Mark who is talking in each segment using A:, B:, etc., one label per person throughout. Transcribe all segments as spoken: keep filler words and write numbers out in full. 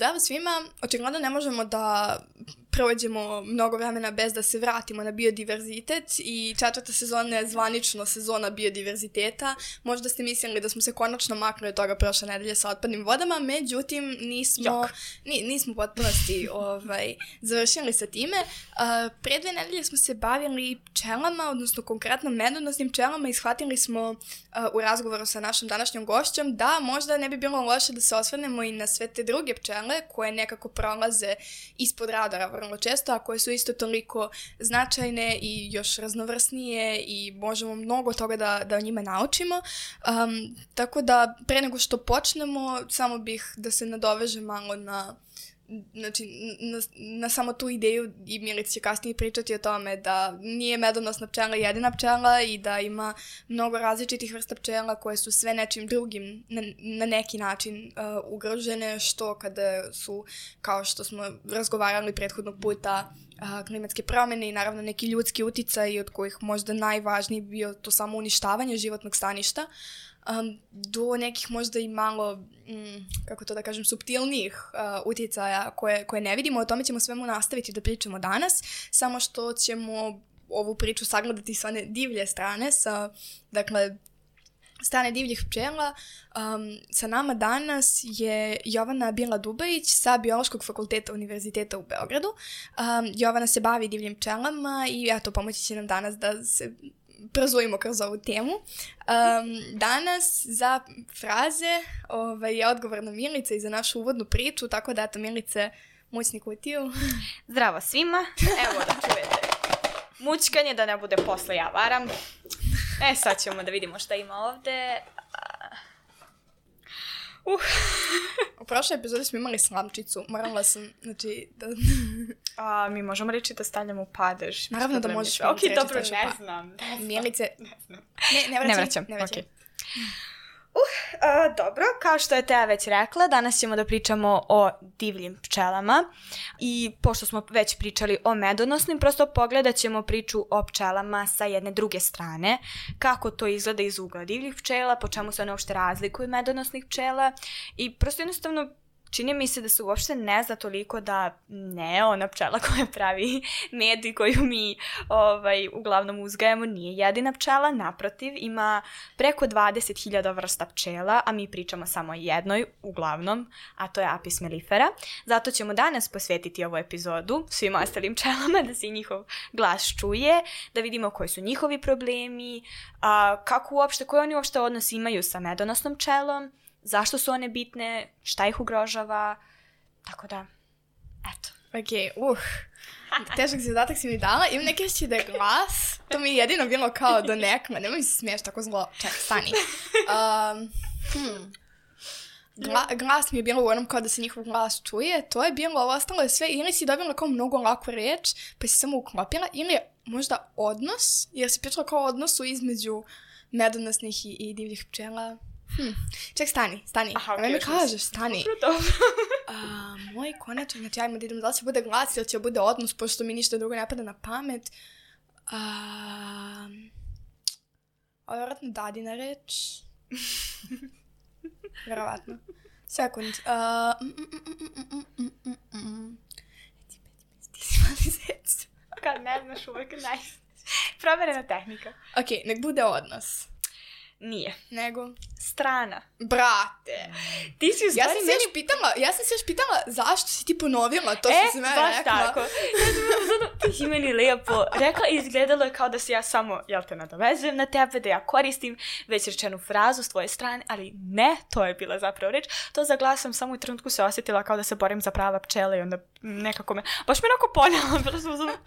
A: Zdravo svima, očigledno ne možemo da prođemo mnogo vremena bez da se vratimo na biodiverzitet i četvrta sezona je zvanično sezona biodiverziteta. Možda ste mislili da smo se konačno maknuli od toga prošle nedelje sa otpadnim vodama, međutim nismo, ni, nismo u potpunosti ovaj, završili sa time. Uh, pre dve nedelje smo se bavili pčelama, odnosno konkretno medonosnim pčelama i shvatili smo uh, u razgovoru sa našom današnjom gošćom da možda ne bi bilo loše da se osvrnemo i na sve te druge pčele koje nekako prolaze ispod radara vrlo često, a koje su isto toliko značajne i još raznovrsnije i možemo mnogo toga da, da o njima naučimo. Um, tako da pre nego što počnemo, samo bih da se nadoveže malo na znači na, na samo tu ideju i Milica će kasnije pričati o tome da nije medonosna pčela jedina pčela i da ima mnogo različitih vrsta pčela koje su sve nečim drugim na, na neki način uh, ugrožene, što kada su, kao što smo razgovarali prethodnog puta, uh, klimatske promjene i naravno neki ljudski uticaj od kojih možda najvažniji bio to samo uništavanje životnog staništa. Um, do nekih možda i malo, mm, kako to da kažem, suptilnijih uh, utjecaja koje, koje ne vidimo. O tome ćemo svemu nastaviti da pričamo danas, samo što ćemo ovu priču sagledati sa one divlje strane, sa, dakle, strane divljih pčela. Um, sa nama danas je Jovana Bila-Dubajić sa Biološkog fakulteta Univerziteta u Beogradu. Um, Jovana se bavi divljim pčelama i eto, pomoći će nam danas da se prozvojimo kroz ovu temu. Um, danas za fraze ovaj, je odgovorna Milica i za našu uvodnu priču, tako da eto, Milice, mućni kutiju.
B: Zdravo svima. Evo da čujete mućkanje, da ne bude posle ja varam. E, sad ćemo da vidimo šta ima ovde. Uh.
A: U prošloj epizodi smo imali slamčicu. Morala sam, znači, da...
B: A, mi možemo reći da stavljamo u padež.
A: Naravno da možeš.
B: Ok, dobro, ne znam.
A: Milice,
B: ne znam.
A: Ne, ne vraćam.
B: Ne vraćam,
A: ne vraćam.
B: Okay. Uh, a, dobro, kao što je Teja već rekla, danas ćemo da pričamo o divljim pčelama i pošto smo već pričali o medonosnim, prosto pogledat ćemo priču o pčelama sa jedne druge strane, kako to izgleda iz ugla divljih pčela, po čemu se one uopšte razlikuju medonosnih pčela i prosto jednostavno čini mi se da se uopšte ne zna toliko da ne, ona pčela koja pravi med i koju mi ovaj, uglavnom uzgajamo nije jedina pčela, naprotiv, ima preko dvadeset hiljada vrsta pčela, a mi pričamo samo o jednoj uglavnom, a to je Apis mellifera. Zato ćemo danas posvetiti ovu epizodu svim ostalim pčelama, da se njihov glas čuje, da vidimo koji su njihovi problemi, a, kako uopšte, koji oni uopšte odnos imaju sa medonosnom pčelom, zašto su one bitne, šta ih ugrožava, tako da, eto.
A: Ok, uh, težak zadatak si mi dala, imam neke će da je glas, to mi je jedino bilo kao do nekma, nemoj mi se smiješ tako zlo, čekaj, stani. Um, hmm. Gla, glas mi je bilo u onom kao da se njihov glas čuje, to je bilo, ovo ostalo je sve, ili si dobila kao mnogo laku reč, pa si samo uklopila, ili je možda odnos, jer si pričala kao o odnosu između medonosnih i, i divljih pčela. Hmm. Ček, stani, stani.
B: Aha,
A: okay, mi kažeš, stani.
B: Dobro, dobro.
A: uh, moj konačan, znači ajmo da idemo, da li će bude glas ili će bude odnos, pošto mi ništa drugo ne pada na pamet. Uh, ovo je vjerojatno dadina reč. Vjerovatno. Sekund. Uh, mm, mm, mm, mm, mm, mm. Ti si mali zec.
B: Kad ne znaš uvek naj... Proverena tehnika.
A: Ok, nek bude odnos.
B: Nije.
A: Nego?
B: Strana.
A: Brate.
B: Ti si u stvari...
A: Ja sam se
B: meni...
A: još pitala, ja sam se još pitala zašto si ti ponovila to
B: e,
A: što si mene rekla.
B: E, baš tako. Ti si meni lijepo rekla i izgledalo je kao da se ja samo, jel te nadovezujem na tebe, da ja koristim već rečenu frazu s tvoje strane, ali ne, to je bila zapravo reč. To za glas sam samo u trenutku se osjetila kao da se borim za prava pčela i onda nekako me, baš me onako ponela, bilo sam uzmano...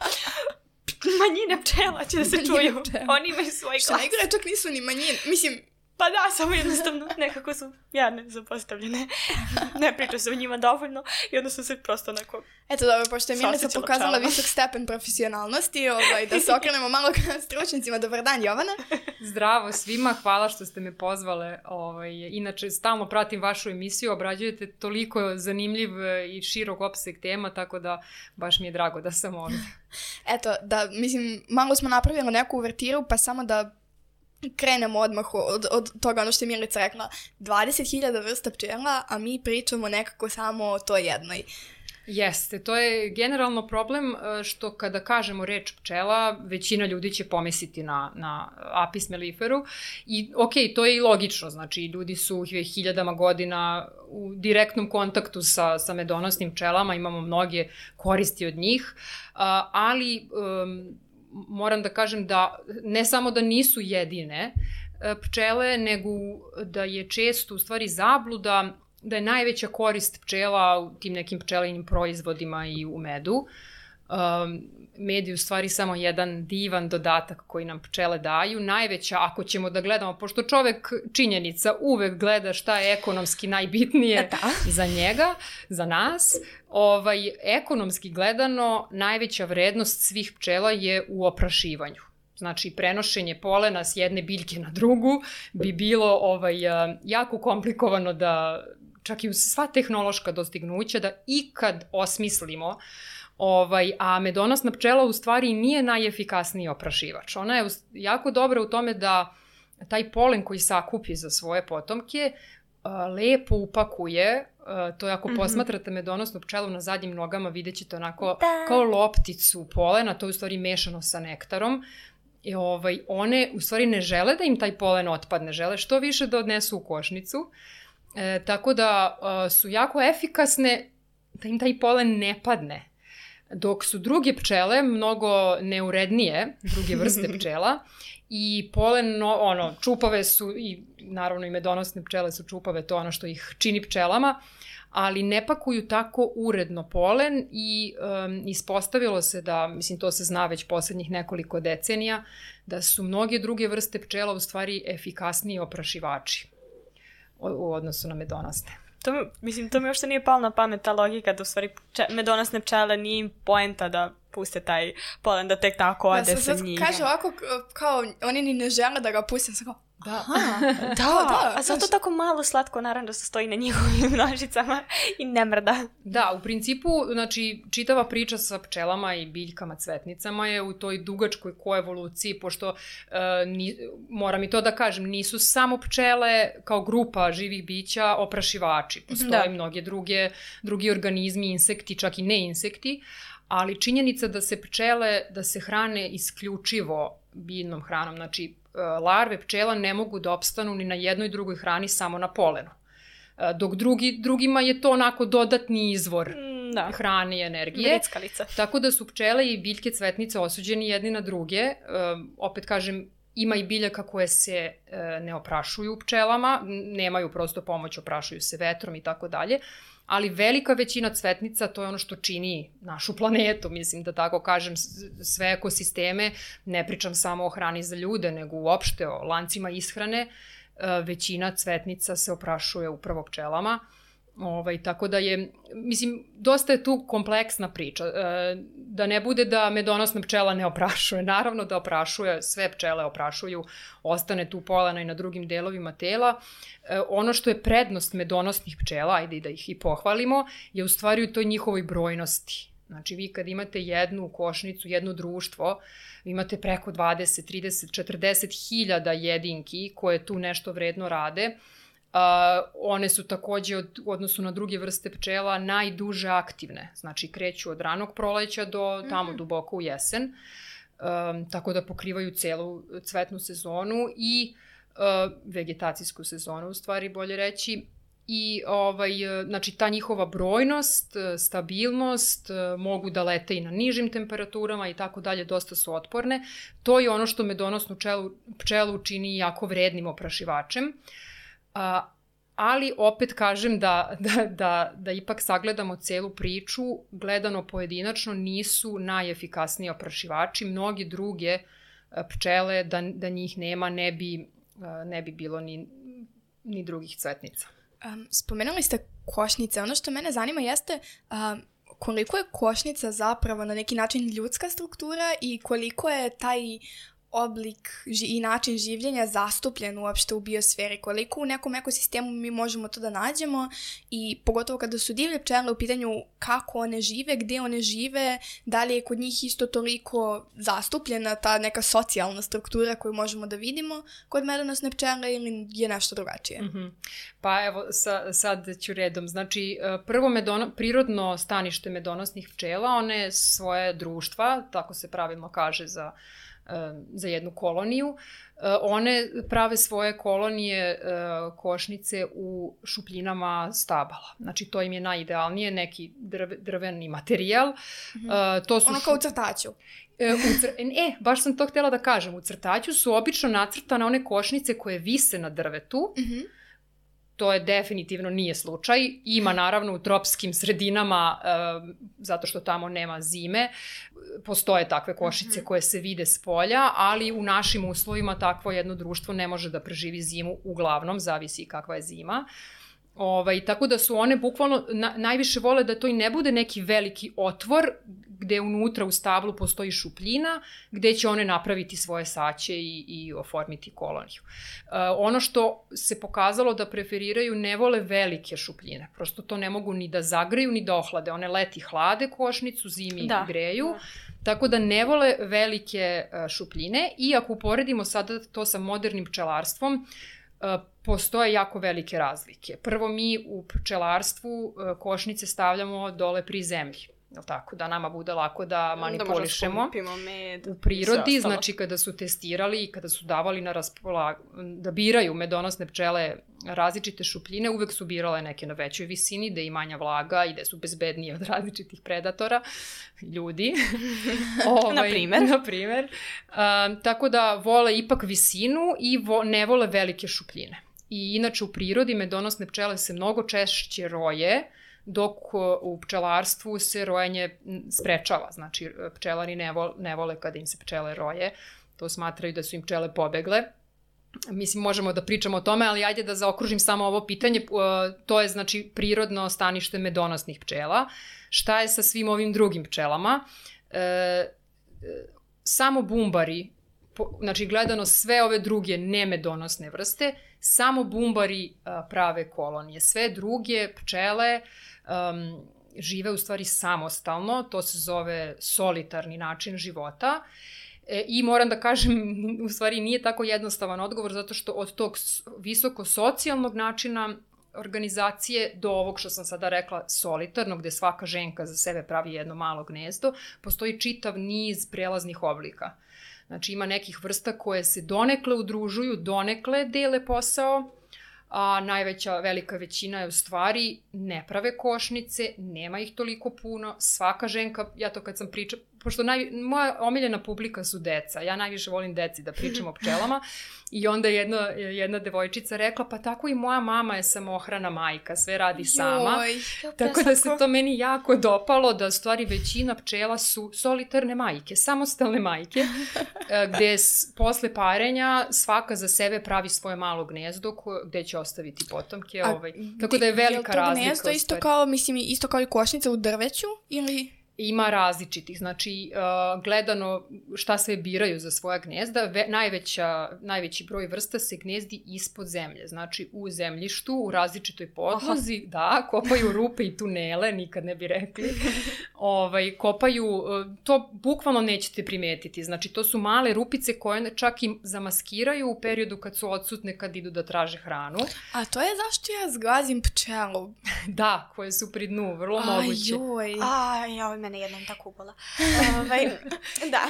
B: Manjine pčela će da se čuju. Oni imaju svoj glas.
A: Što najgore, čak nisu ni manjine. Mislim...
B: Pa da, samo jednostavno nekako su jadne, zapostavljene. Ne priča se o njima dovoljno i onda su se prosto onako...
A: Eto dobro, pošto je Milica pokazala pčelama. Visok stepen profesionalnosti, ovaj, da se okrenemo malo ka stručnicima. Dobar dan, Jovana.
C: Zdravo svima, hvala što ste me pozvale. Ovaj, inače, stalno pratim vašu emisiju, obrađujete toliko zanimljiv i širok opseg tema, tako da baš mi je drago da sam ovdje.
A: Eto, da, mislim, malo smo napravili neku uvertiru, pa samo da krenemo odmah od, od toga ono što je Milica rekla, dvadeset hiljada vrsta pčela, a mi pričamo nekako samo o toj jednoj.
C: Jeste, to je generalno problem što kada kažemo reč pčela, većina ljudi će pomisliti na, na Apis melliferu i ok, to je i logično, znači ljudi su hiljadama godina u direktnom kontaktu sa, sa medonosnim pčelama, imamo mnoge koristi od njih, ali um, moram da kažem da ne samo da nisu jedine pčele, nego da je često u stvari zabluda da je najveća korist pčela u tim nekim pčelinim proizvodima i u medu. Um, med je u stvari samo jedan divan dodatak koji nam pčele daju. Najveća, ako ćemo da gledamo, pošto čovek činjenica uvek gleda šta je ekonomski najbitnije za njega, za nas, ovaj, ekonomski gledano najveća vrednost svih pčela je u oprašivanju. Znači, prenošenje polena s jedne biljke na drugu bi bilo ovaj, jako komplikovano da, čak i uz sva tehnološka dostignuća, da ikad osmislimo, ovaj, a medonosna pčela u stvari nije najefikasniji oprašivač. Ona je jako dobra u tome da taj polen koji sakupi za svoje potomke lepo upakuje, to je ako mm-hmm. posmatrate medonosnu pčelu na zadnjim nogama, vidjet ćete onako da. Kao lopticu polena, to je u stvari mešano sa nektarom. I ovaj, one u stvari ne žele da im taj polen otpadne, žele što više da odnesu u košnicu, e, tako da a, su jako efikasne da im taj polen ne padne. Dok su druge pčele mnogo neurednije, druge vrste pčela, i polen, no, ono, čupave su, i naravno i medonosne pčele su čupave, to je ono što ih čini pčelama, ali ne pakuju tako uredno polen i um, ispostavilo se da, mislim to se zna već poslednjih nekoliko decenija, da su mnoge druge vrste pčela u stvari efikasniji oprašivači u, u odnosu na medonosne.
B: To, mislim, to mi uopšte nije palo na pamet ta logika da u stvari pče, medonosne pčele nije im poenta da puste taj polen, da tek tako ode ja, sa njih.
A: Kaže ovako, kao oni ni ne žele da ga puste, sa kao,
B: da. Aha, da, da, a zato tako malo slatko naravno se stoji na njihovim nožicama i ne mrda.
C: Da, u principu, znači, čitava priča sa pčelama i biljkama, cvetnicama je u toj dugačkoj koevoluciji, pošto, e, ni, moram i to da kažem, nisu samo pčele kao grupa živih bića oprašivači. Postoje da. mnoge druge, drugi organizmi, insekti, čak i neinsekti, ali činjenica da se pčele, da se hrane isključivo biljnom hranom, znači larve pčela ne mogu da opstanu ni na jednoj drugoj hrani samo na polenu. Dok drugi, drugima je to onako dodatni izvor da. hrane i energije.
B: Grickalica.
C: Tako da su pčele i biljke cvetnice osuđeni jedni na druge. Opet kažem, ima i biljaka koje se ne oprašuju pčelama, nemaju prosto pomoć, oprašuju se vetrom i tako dalje. Ali velika većina cvetnica, to je ono što čini našu planetu, mislim da tako kažem, sve ekosisteme, ne pričam samo o hrani za ljude, nego uopšte o lancima ishrane, većina cvetnica se oprašuje upravo pčelama. Ovaj, tako da je, mislim, dosta je tu kompleksna priča. E, da ne bude da medonosna pčela ne oprašuje. Naravno da oprašuje, sve pčele oprašuju, ostane tu polena i na drugim delovima tela. E, ono što je prednost medonosnih pčela, ajde da ih i pohvalimo, je u stvari u toj njihovoj brojnosti. Znači vi kad imate jednu košnicu, jedno društvo, imate preko dvadeset, trideset, četrdeset hiljada jedinki koje tu nešto vredno rade. Uh, one su takođe od, u odnosu na druge vrste pčela najduže aktivne, znači kreću od ranog proleća do tamo mm. duboko u jesen, um, tako da pokrivaju celu cvetnu sezonu i uh, vegetacijsku sezonu, u stvari bolje reći. I ovaj, znači ta njihova brojnost, stabilnost, mogu da lete i na nižim temperaturama i tako dalje, dosta su otporne. To je ono što medonosnu pčelu, pčelu čini jako vrednim oprašivačem. A, ali opet kažem da, da, da, da ipak sagledamo celu priču, gledano pojedinačno nisu najefikasniji oprašivači, mnogi druge pčele, da, da njih nema, ne bi, ne bi bilo ni, ni drugih cvetnica.
A: Um, spomenuli ste košnice. Ono što mene zanima jeste um, koliko je košnica zapravo na neki način ljudska struktura i koliko je taj oblik i način življenja zastupljen uopšte u biosferi, koliko u nekom ekosistemu mi možemo to da nađemo i pogotovo kada su divlje pčele u pitanju kako one žive, gde one žive, da li je kod njih isto toliko zastupljena ta neka socijalna struktura koju možemo da vidimo kod medonosne pčele ili je nešto drugačije.
C: Mm-hmm. Pa evo sa, sad ću redom. Znači prvo medono, prirodno stanište medonosnih pčela, one svoje društva, tako se pravilno kaže za za jednu koloniju. One prave svoje kolonije košnice u šupljinama stabala. Znači, to im je najidealnije, neki drve, drveni materijal.
A: Mm-hmm.
C: To su
A: ono kao u crtaću.
C: U cr... E, baš sam to htjela da kažem. U crtaću su obično nacrtane one košnice koje vise na drvetu. Mm-hmm. To je definitivno nije slučaj. Ima naravno u tropskim sredinama, e, zato što tamo nema zime, postoje takve košnice koje se vide s polja, ali u našim uslovima takvo jedno društvo ne može da preživi zimu, uglavnom, zavisi kakva je zima. Ovaj, tako da su one bukvalno na, najviše vole da to i ne bude neki veliki otvor gde unutra u stablu postoji šupljina, gde će one napraviti svoje saće i, i oformiti koloniju. Uh, ono što se pokazalo da preferiraju, ne vole velike šupljine. Prosto to ne mogu ni da zagreju, ni da ohlade. One leti hlade košnicu, zimi da. greju. Da. Tako da ne vole velike uh, šupljine i ako uporedimo sada to sa modernim pčelarstvom, Uh, postoje jako velike razlike. Prvo, mi u pčelarstvu uh, košnice stavljamo dole pri zemlji. Jel tako? Da nama bude lako da manipulišemo.
B: Da med,
C: u prirodi, znači kada su testirali i kada su davali na raspolaganje, da biraju medonosne pčele različite šupljine, uvek su birale neke na većoj visini, da je manja vlaga i da su bezbednije od različitih predatora, ljudi. ovaj,
B: na primer.
C: Na primer. Uh, tako da vole ipak visinu i vo, ne vole velike šupljine. I inače u prirodi medonosne pčele se mnogo češće roje, dok u pčelarstvu se rojenje sprečava. Znači, pčelari ne vole, ne vole kada im se pčele roje. To smatraju da su im pčele pobegle. Mislim, možemo da pričamo o tome, ali ajde da zaokružim samo ovo pitanje. To je, znači, prirodno stanište medonosnih pčela. Šta je sa svim ovim drugim pčelama? E, samo bumbari, znači, gledano sve ove druge nemedonosne vrste, samo bumbari a, prave kolonije. Sve druge pčele um, žive u stvari samostalno, to se zove solitarni način života. E, I moram da kažem, u stvari nije tako jednostavan odgovor, zato što od tog visoko socijalnog načina organizacije do ovog što sam sada rekla solitarnog, gde svaka ženka za sebe pravi jedno malo gnezdo, postoji čitav niz prelaznih oblika. Znači ima nekih vrsta koje se donekle udružuju, donekle dele posao, a najveća, velika većina je u stvari ne prave košnice, nema ih toliko puno, svaka ženka, ja to kad sam pričala, pošto naj, moja omiljena publika su deca, ja najviše volim deci da pričam o pčelama i onda jedna, jedna devojčica rekla, pa tako i moja mama je samohrana majka, sve radi sama. Joj, tako da se to meni jako dopalo, da u stvari većina pčela su solitarne majke, samostalne majke, gde s, posle parenja svaka za sebe pravi svoje malo gnezdo ko, gde će ostaviti potomke. A, ovaj. Tako da je velika je razlika. Je to
A: gnezdo isto kao, mislim, isto kao i košnica u drveću ili...
C: Ima različitih, znači uh, gledano šta sve biraju za svoja gnezda, ve, najveća, najveći broj vrsta se gnezdi ispod zemlje, znači u zemljištu, u različitoj podlozi, Aha. da, kopaju rupe i tunele, nikad ne bi rekli, ovaj, kopaju, uh, to bukvalno nećete primetiti, znači to su male rupice koje čak i zamaskiraju u periodu kad su odsutne, kad idu da traže hranu.
A: A to je zašto ja zgazim pčelu?
C: Da, koje su pri dnu, vrlo
A: Aj,
C: moguće.
A: Joj.
B: Aj, joj, mene jednom tako upala. Ovaj, da.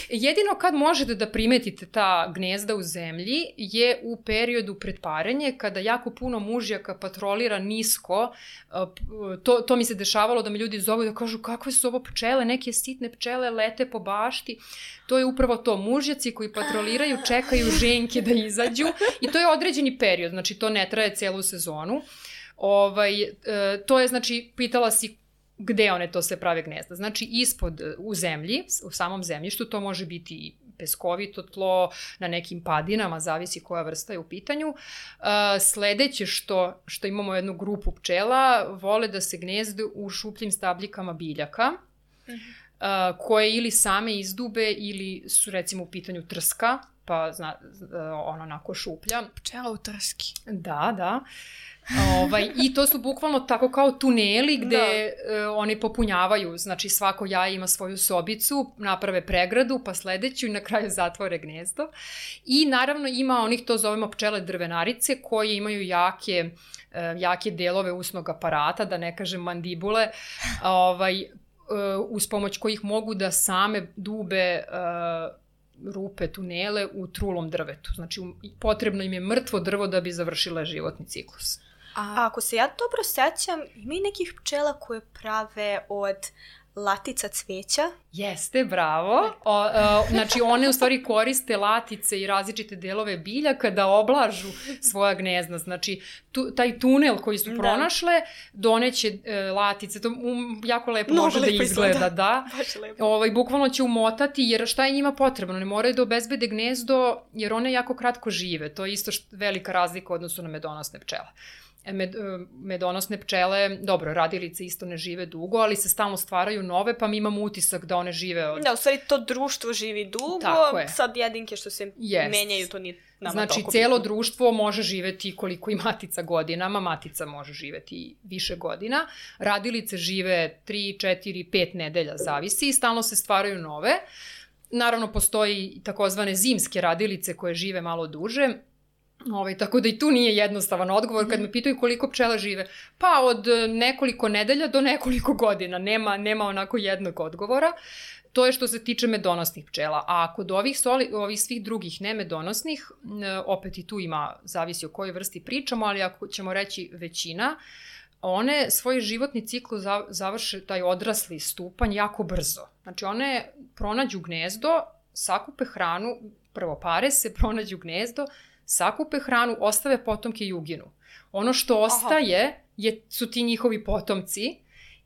C: Jedino kad možete da primetite ta gnezda u zemlji je u periodu pred parenje, kada jako puno mužjaka patrolira nisko. To, to mi se dešavalo da me ljudi zovu da kažu kakve su ovo pčele, neke sitne pčele lete po bašti. To je upravo to, mužjaci koji patroliraju, čekaju ženke da izađu i to je određeni period, znači to ne traje celu sezonu. Ovaj, e, to je, znači, pitala si gde one to sve prave gnezda. Znači, ispod, u zemlji, u samom zemljištu, to može biti peskovito tlo, na nekim padinama, zavisi koja vrsta je u pitanju. Uh, sledeće što, što imamo jednu grupu pčela, vole da se gnezde u šupljim stabljikama biljaka. Uh-huh. koje ili same izdube ili su recimo u pitanju trska, pa zna, ono onako šuplja.
A: Pčela u trski.
C: Da, da. Ovaj, I to su bukvalno tako kao tuneli gde da. uh, oni popunjavaju, znači svako jaje ima svoju sobicu, naprave pregradu, pa sledeću i na kraju zatvore gnezdo. I naravno ima onih, to zovemo pčele drvenarice, koje imaju jake, uh, jake delove usnog aparata, da ne kažem mandibule, ovaj, uh, uz pomoć kojih mogu da same dube uh, rupe, tunele u trulom drvetu. Znači potrebno im je mrtvo drvo da bi završile životni ciklus.
B: A ako se ja dobro sećam, ima i nekih pčela koje prave od latica cveća.
C: Jeste, bravo. O, o, znači one u stvari koriste latice i različite delove bilja kada oblažu svoja gnezda. Znači tu, taj tunel koji su pronašle doneće e, latice. To um, jako lepo no, može lepo da izgleda. izgleda. Da. Ovaj, bukvalno će umotati, jer šta je njima potrebno? Ne moraju da obezbede gnezdo jer one jako kratko žive. To je isto št, velika razlika u odnosu na medonosne pčele. Med, medonosne pčele, dobro, radilice isto ne žive dugo, ali se stalno stvaraju nove, pa mi imamo utisak da one žive od...
B: Da, u stvari to društvo živi dugo, sad jedinke što se yes. menjaju, to nije nama
C: znači,
B: toliko
C: celo
B: bitno.
C: Društvo može živeti koliko i matica godinama, matica može živeti više godina, radilice žive tri, četiri, pet nedelja, zavisi, i stalno se stvaraju nove. Naravno, postoji takozvane zimske radilice koje žive malo duže. Ovaj, tako da i tu nije jednostavan odgovor kad me pitaju koliko pčela žive. Pa od nekoliko nedelja do nekoliko godina. Nema, nema onako jednog odgovora. To je što se tiče medonosnih pčela. A kod ovih, soli, ovih svih drugih nemedonosnih, opet i tu ima, zavisi o kojoj vrsti pričamo, ali ako ćemo reći većina, one svoj životni ciklus završe taj odrasli stupanj jako brzo. Znači one pronađu gnezdo, sakupe hranu, prvo pare se, pronađu gnezdo, sakupe hranu, ostave potomke i uginu. Ono što ostaje je, su ti njihovi potomci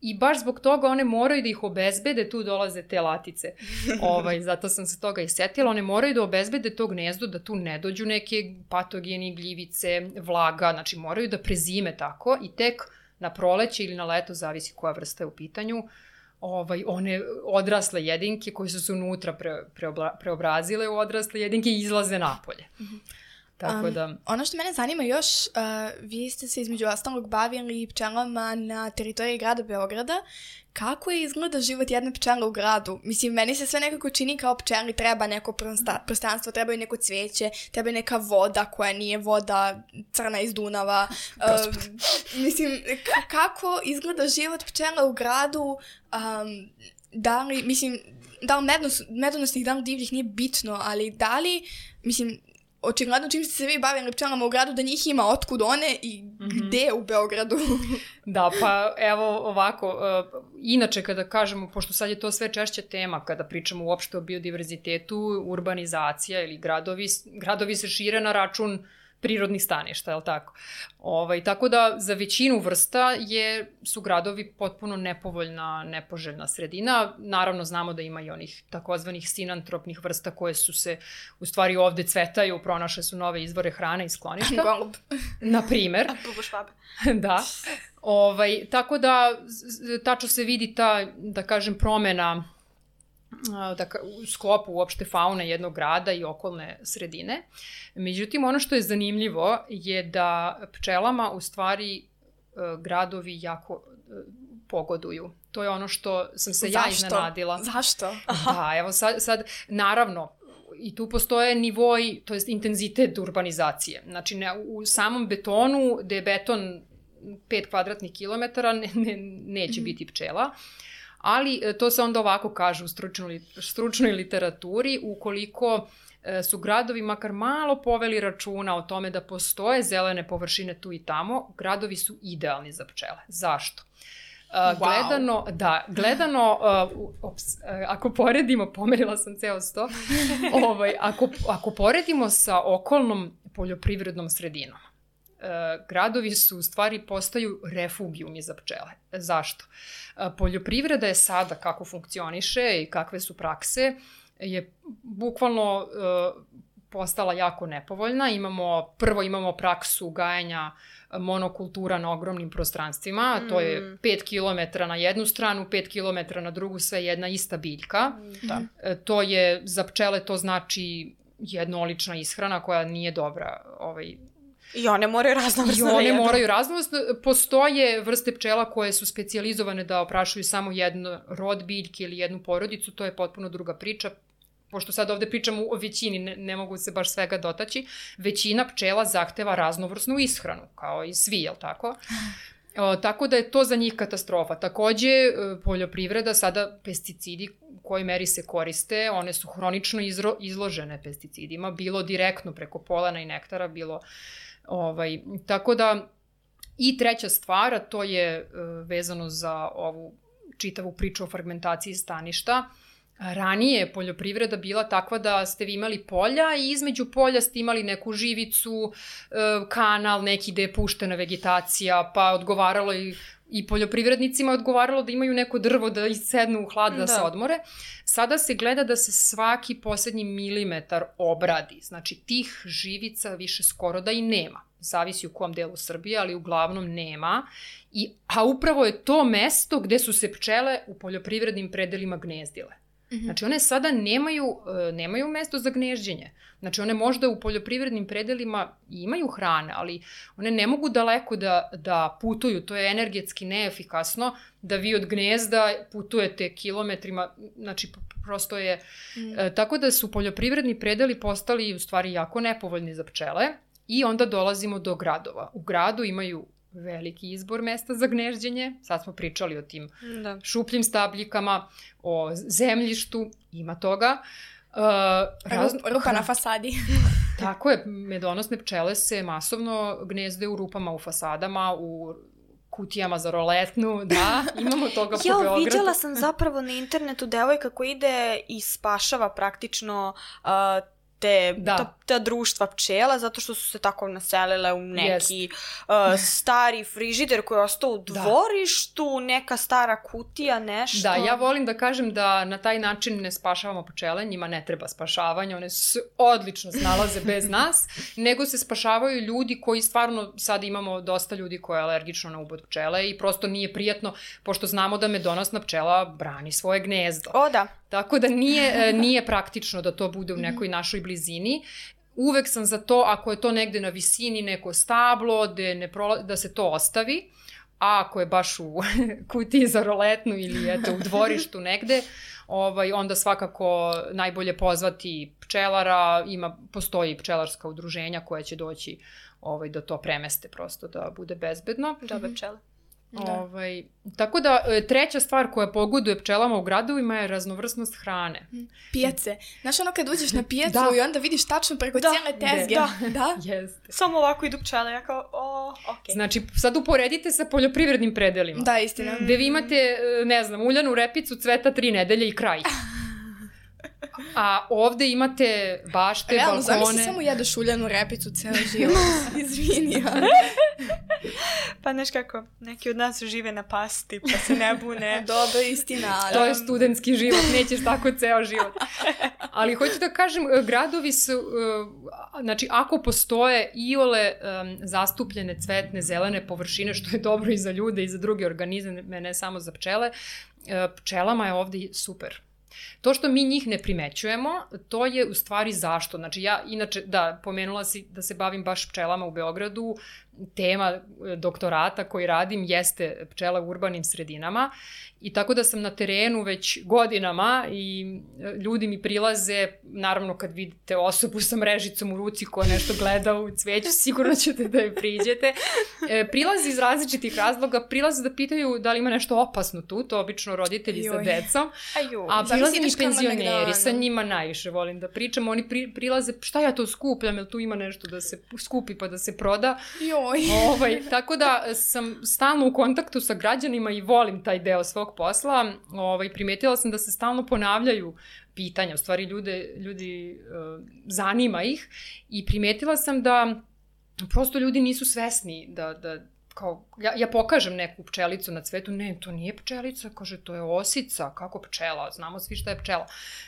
C: i baš zbog toga one moraju da ih obezbede, tu dolaze te latice. Ovaj, zato sam se toga i setila. One moraju da obezbede to gnezdo, da tu ne dođu neke patogeni, gljivice, vlaga, znači moraju da prezime tako i tek na proleće ili na leto, zavisi koja vrsta je u pitanju, ovaj, one odrasle jedinke koje su se unutra pre, preobla, preobrazile u odrasle jedinke izlaze napolje. Mm-hmm. Tako da...
A: Um, ono što mene zanima još, uh, vi ste se između ostalog bavili pčelama na teritoriji grada Beograda. Kako je izgleda život jedne pčele u gradu? Mislim, meni se sve nekako čini kao pčeli treba neko prostranstvo, treba i neko cveće, treba i neka voda koja nije voda crna iz Dunava. Uh, mislim, k- kako izgleda život pčela u gradu? Um, da li, mislim, da li medonos, medonosnih, da li divljih nije bitno, ali da li, mislim... Očigledno čim ste se vi bavili pčelama u gradu da njih ima otkud one i mm-hmm. gde u Beogradu.
C: Da, pa evo ovako, uh, inače kada kažemo, pošto sad je to sve češća tema, kada pričamo uopšte o biodiverzitetu, urbanizacija ili gradovi, gradovi se šire na račun prirodnih staništa, je li tako? Ovaj, tako da za većinu vrsta je, su gradovi potpuno nepovoljna, nepoželjna sredina. Naravno znamo da ima i onih takozvanih sinantropnih vrsta koje su se u stvari ovde cvetaju, pronašle su nove izvore hrane i skloništa.
A: Golub.
C: Na primer.
B: Bubo švabe.
C: Da. Ovaj, tako da tačno se vidi ta, da kažem, promena da, u sklopu uopšte faune jednog grada i okolne sredine. Međutim, ono što je zanimljivo je da pčelama u stvari gradovi jako pogoduju. To je ono što sam se
A: Zašto?
C: ja iznenadila.
A: Zašto?
C: Da, evo sad, sad naravno, i tu postoje nivoi, to jest intenzitet urbanizacije. Znači, ne, u samom betonu, gde je beton pet kvadratnih kilometara, ne, ne, neće mm-hmm. biti pčela. Ali to se onda ovako kaže u stručnoj, stručnoj literaturi, ukoliko su gradovi makar malo poveli računa o tome da postoje zelene površine tu i tamo, gradovi su idealni za pčele. Zašto? Uh, gledano, da, gledano, uh, ops, uh, ako poredimo, pomerila sam ceo sto, ovaj, ako, ako poredimo sa okolnom poljoprivrednom sredinom, Uh, gradovi su u stvari postaju refugijumi za pčele. Zašto? Uh, poljoprivreda je sada kako funkcioniše i kakve su prakse, je bukvalno uh, postala jako nepovoljna. Imamo, prvo imamo praksu gajenja monokultura na ogromnim prostranstvima, mm. to je pet kilometara na jednu stranu, pet kilometara na drugu, sve jedna ista biljka. Da. To je, za pčele to znači jednolična ishrana koja nije dobra. Ovaj,
B: I one moraju raznovrsno da jedu.
C: I one moraju raznovrsno. Postoje vrste pčela koje su specijalizovane da oprašuju samo jedno rod biljke ili jednu porodicu, to je potpuno druga priča. Pošto sad ovde pričamo o većini, ne, ne mogu se baš svega dotaći, većina pčela zahteva raznovrsnu ishranu, kao i svi, jel tako? O, tako da je to za njih katastrofa. Takođe, poljoprivreda, sada pesticidi u kojoj meri se koriste, one su hronično izro, izložene pesticidima, bilo direktno preko polena i nektara, bilo... Ovaj, tako da, i treća stvar, a to je uh, vezano za ovu čitavu priču o fragmentaciji staništa. Ranije je poljoprivreda bila takva da ste vi imali polja i između polja ste imali neku živicu, kanal, neki gde je puštena vegetacija, pa odgovaralo i, i poljoprivrednicima odgovaralo da imaju neko drvo da isednu u hlad, da, da se odmore. Sada se gleda da se svaki poslednji milimetar obradi. Znači, tih živica više skoro da i nema. Zavisi u kom delu Srbije, ali uglavnom nema. I, a upravo je to mesto gde su se pčele u poljoprivrednim predelima gnezdile. Znači, one sada nemaju, nemaju mesto za gnežđenje. Znači, one možda u poljoprivrednim predelima imaju hrane, ali one ne mogu daleko da, da putuju. To je energetski neefikasno da vi od gnezda putujete kilometrima. Znači, prosto je... Mm. E, tako da su poljoprivredni predeli postali u stvari jako nepovoljni za pčele i onda dolazimo do gradova. U gradu imaju veliki izbor mesta za gnežđenje. Sad smo pričali o tim da. šupljim stabljikama, o zemljištu, ima toga. Uh,
A: raz... Rupa na fasadi.
C: Tako je, medonosne pčele se masovno gnezde u rupama u fasadama, u kutijama za roletnu, da, imamo toga po Beogradu.
B: Ja, viđala sam zapravo na internetu devojka koja ide i spašava praktično uh, te, da. ta, ta društva pčela, zato što su se tako naselile u neki uh, stari frižider koji je ostao u dvorištu, da. neka stara kutija, nešto.
C: Da, ja volim da kažem da na taj način ne spašavamo pčele, njima ne treba spašavanje, one se odlično snalaze bez nas, nego se spašavaju ljudi koji stvarno, sad imamo dosta ljudi koji je alergično na ubod pčele i prosto nije prijatno, pošto znamo da medonosna pčela brani svoje gnezdo.
B: O, da.
C: Tako da nije, nije praktično da to bude u nekoj našoj blizini. Uvek sam za to, ako je to negde na visini, neko stablo, da, ne prola, da se to ostavi, a ako je baš u kutiji za roletnu ili eto, u dvorištu negde, ovaj, onda svakako najbolje pozvati pčelara, ima, postoji pčelarska udruženja koja će doći ovaj, da to premeste prosto, da bude bezbedno.
B: Dobre pčele.
C: Da. Ovaj, tako da, treća stvar koja pogoduje pčelama u gradovima je raznovrsnost hrane.
A: Pijace. Znaš ono kad uđeš na pijacu da. i onda vidiš tačno preko da. cijele tezge.
B: Da,
A: da.
C: Jeste.
B: Samo ovako idu pčele, ja kao, o, okej. Okay.
C: Znači, sad uporedite sa poljoprivrednim predelima.
A: Da, istina.
C: Gde vi imate, ne znam, uljanu repicu, cveta tri nedelje i kraj. A ovde imate bašte,
A: realno,
C: balkone...
A: Realno, zamisli samo jedeš uljanu repicu ceo život. Izvini, ali...
B: Pa znaš kako, neki od nas žive na pasti, pa se ne bune.
A: Dobro, istina. Ali...
C: To je studentski život, nećeš tako ceo život. Ali hoću da kažem, gradovi su, znači ako postoje iole um, zastupljene cvetne, zelene površine, što je dobro i za ljude i za druge organizme, ne samo za pčele, pčelama je ovde super. To što mi njih ne primećujemo, to je u stvari zašto. Znači ja, inače, da, pomenula si da se bavim baš pčelama u Beogradu, tema doktorata koji radim jeste pčela u urbanim sredinama i tako da sam na terenu već godinama i ljudi mi prilaze, naravno kad vidite osobu sa mrežicom u ruci koja nešto gleda u cveću, sigurno ćete da je priđete. Prilaze iz različitih razloga, prilaze da pitaju da li ima nešto opasno tu, to obično roditelji Joj. sa decom,
B: Aju,
C: a prilaze mi penzioneri, sa njima najviše volim da pričam, oni pri, prilaze, šta ja to skupljam, jel tu ima nešto da se skupi pa da se proda.
A: Joj.
C: Ovaj, tako da sam stalno u kontaktu sa građanima i volim taj deo svog posla. Ovaj, primetila sam da se stalno ponavljaju pitanja, u stvari ljude, ljudi uh, zanima ih i primetila sam da prosto ljudi nisu svesni da, da kao, ja, ja pokažem neku pčelicu na cvetu, ne, to nije pčelica, kaže, to je osica, kako pčela, znamo svi šta je pčela.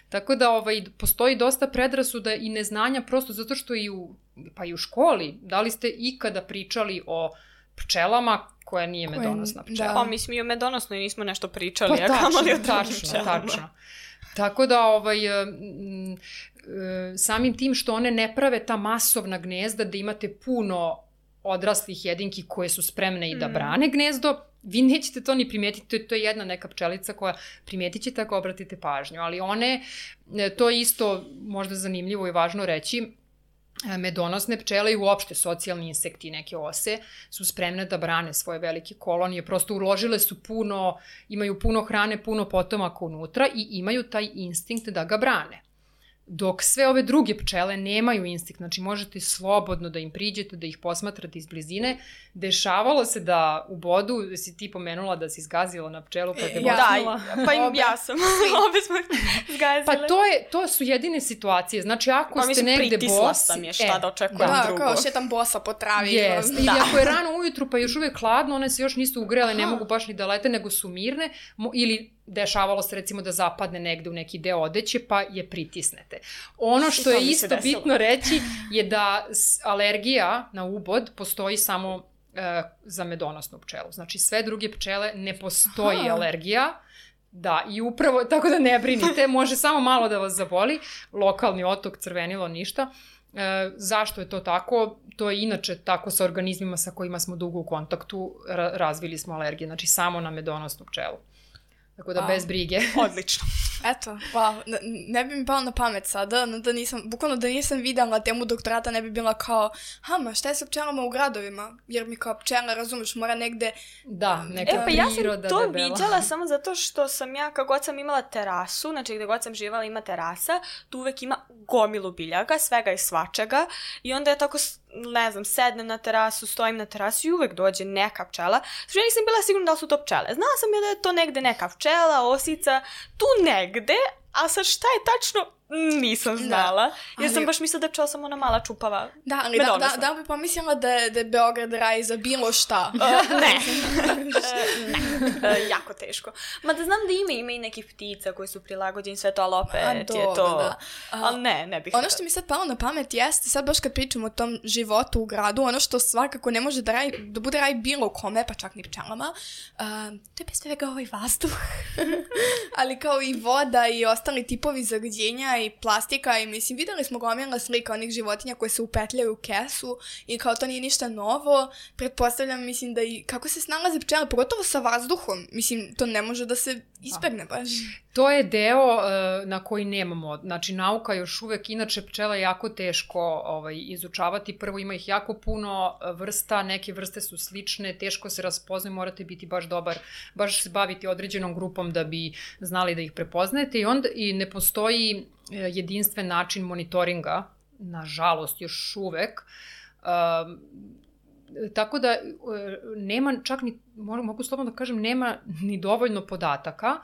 C: Tako da ovaj, postoji dosta predrasuda i neznanja, prosto zato što i u, pa i u školi, da li ste ikada pričali o pčelama koja nije Koje, medonosna pčela?
B: Da. Pa mi smo i o medonosnoj nismo nešto pričali,
C: pa,
B: a kamali o
C: tačno, tačno. Tako da, ovaj, samim tim što one ne prave ta masovna gnezda, da imate puno odraslih jedinki koje su spremne i da brane gnezdo, vi nećete to ni primetiti, to je jedna neka pčelica koja primetit ćete ako obratite pažnju, ali one, to je isto možda zanimljivo i važno reći, medonosne pčele i uopšte socijalni insekti i neke ose su spremne da brane svoje velike kolonije, prosto uložile su puno, imaju puno hrane, puno potomaka unutra i imaju taj instinkt da ga brane. Dok sve ove druge pčele nemaju instinkt, znači možete slobodno da im priđete, da ih posmatrate iz blizine. Dešavalo se da u bodu, si ti pomenula da si zgazila na pčelu pa te bocnula.
B: Da, pa im, ja sam, obe smo zgazile.
C: Pa to, je, to su jedine situacije, znači ako pa, ste negde bosi... Pa mislim, pritisla
B: sam je šta e, da očekujem
A: da,
B: drugo.
A: Da, kao šetam bosa po travi.
C: Yes. I da. Ako je rano ujutru pa još uvek hladno, one se još nisu ugrele, ne mogu baš ni da lete, nego su mirne, ili dešavalo se recimo da zapadne negde u neki deo odeće pa je pritisnete. Ono što je isto bitno reći je da alergija na ubod postoji samo e, za medonosnu pčelu. Znači sve druge pčele ne postoji Aha. alergija. Da, i upravo, tako da ne brinite, može samo malo da vas zaboli, lokalni otok, crvenilo, ništa. E, zašto je to tako? To je inače tako sa organizmima sa kojima smo dugo u kontaktu, ra- razvili smo alergije, znači samo na medonosnu pčelu. Tako da wow. bez brige.
B: Odlično.
A: Eto, wow, ne, ne bi mi palo na pamet sada, da nisam, bukvalno da nisam videla temu doktorata, ne bi bila kao, ha, ma šta je sa pčelama u gradovima? Jer mi kao pčela, razumeš, mora negde...
C: Da, neka
B: e, pa
C: priroda
B: ja sam to
C: debela.
B: viđala samo zato što sam ja, kako god sam imala terasu, znači gde god sam živala ima terasa, tu uvek ima gomilu biljaka, svega i svačega, i onda je tako, ne znam, sednem na terasu, stojim na terasu i uvek dođe neka pčela. Znači ja nisam bila sigurna da li su to pčele. Znala sam ja da je to negde neka pčela, osica, tu negde, a sad šta je tačno, nisam znala. Da, ali... Jer sam baš mislila da je pčela samo ona mala čupava.
A: Da, ali da, da, da bi pomislila da je, da je Beograd raj za bilo šta.
B: Uh, ne. ne. Uh, jako teško. Ma da znam da ima, ima i nekih ptica koji su prilagođeni sve to, ali opet do, je to... Da. Uh, ali ne, ne bih...
A: Ono što mi sad palo na pamet jeste, sad baš kad pričamo o tom životu u gradu, ono što svakako ne može da, raj, da bude raj bilo kome, pa čak ni pčelama, uh, to je bez svega ovaj vazduh. Ali kao i voda i ostali tipovi zagađenja i plastika i mislim, videli smo gomila slika onih životinja koje se upetljaju u kesu i kao to nije ništa novo. Pretpostavljam, mislim da i kako se snalaze pčele, pogotovo sa vazduhom, mislim, to ne može da se ispegne baš.
C: To je deo uh, na koji nemamo, znači nauka još uvek, inače pčela je jako teško ovaj, izučavati, prvo ima ih jako puno vrsta, neke vrste su slične, teško se raspoznaju, morate biti baš dobar, baš se baviti određenom grupom da bi znali da ih prepoznajete i onda i ne postoji jedinstven način monitoringa, nažalost još uvek, uh, tako da nema čak ni, mogu slobodno da kažem, nema ni dovoljno podataka.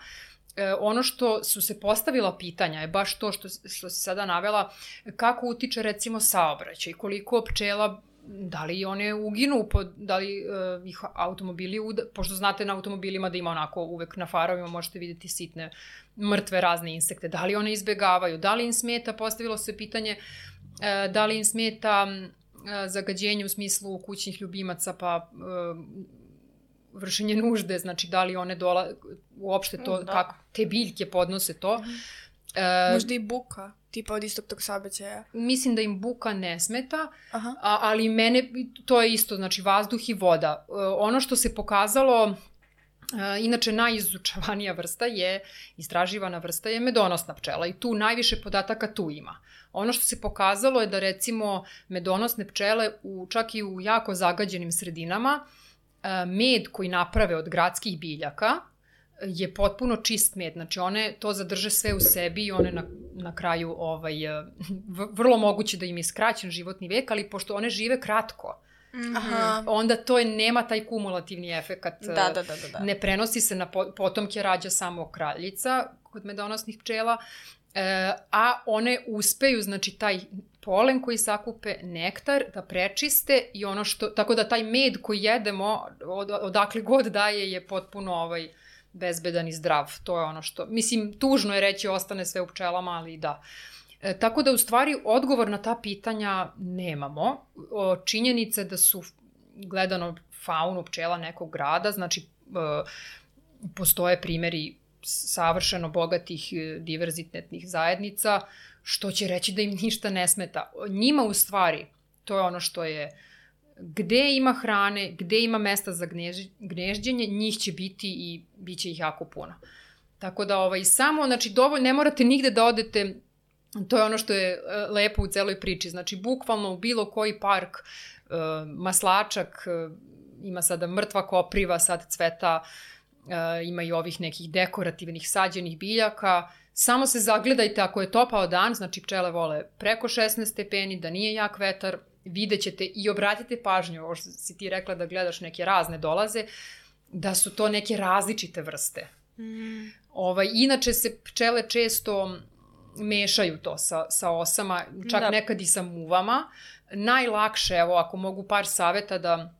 C: E, ono što su se postavila pitanja je baš to što, što si sada navela, kako utiče recimo saobraćaj, koliko pčela, da li one uginu, pod, da li uh, ih automobili, uda, pošto znate na automobilima da ima onako uvek na farovima možete vidjeti sitne mrtve razne insekte, da li one izbegavaju, da li im smeta, postavilo se pitanje uh, da li im smeta zagađenje u smislu kućnih ljubimaca, pa uh, vršenje nužde, znači da li one dola, uopšte to, da. Kako te biljke podnose to.
A: Mm. Uh, Možda i buka, tipa od istog tog saobraćaja.
C: Mislim da im buka ne smeta,
A: Aha.
C: a, ali mene, to je isto, znači vazduh i voda. Uh, ono što se pokazalo, uh, inače najizučavanija vrsta je, istraživana vrsta je medonosna pčela i tu najviše podataka tu ima. Ono što se pokazalo je da recimo medonosne pčele u, čak i u jako zagađenim sredinama, med koji naprave od gradskih biljaka je potpuno čist med. Znači one to zadrže sve u sebi i one na, na kraju ovaj, vrlo moguće da im je skraćen životni vek, ali pošto one žive kratko, Aha. onda to je, nema taj kumulativni efekat.
B: Da, da, da, da.
C: Ne prenosi se na potomke, rađa samo kraljica kod medonosnih pčela. e, a one uspeju, znači taj polen koji sakupe, nektar, da prečiste i ono što, tako da taj med koji jedemo, od, odakle god daje, je potpuno ovaj, bezbedan i zdrav. To je ono što, mislim, tužno je reći ostane sve u pčelama, ali da. E, tako da u stvari odgovor na ta pitanja nemamo. O, činjenice da su gledano faunu pčela nekog grada, znači e, postoje primjeri savršeno bogatih diverzitetnih zajednica, što će reći da im ništa ne smeta. Njima u stvari, to je ono što je, gde ima hrane, gde ima mesta za gnežđenje, njih će biti i bit će ih jako puno. Tako da ovaj, samo, znači dovoljno, ne morate nigde da odete, to je ono što je lepo u celoj priči, znači bukvalno u bilo koji park, maslačak, ima sada mrtva kopriva, sad cveta, ima i ovih nekih dekorativnih sađenih biljaka, samo se zagledajte ako je topao dan, znači pčele vole preko šesnaest stepeni, da nije jak vetar, vidjet ćete i obratite pažnju, ovo što si ti rekla da gledaš neke razne dolaze, da su to neke različite vrste. Mm. Ovaj, inače se pčele često mešaju to sa, sa osama, čak da. Nekad i sa muvama. Najlakše, evo ako mogu par saveta da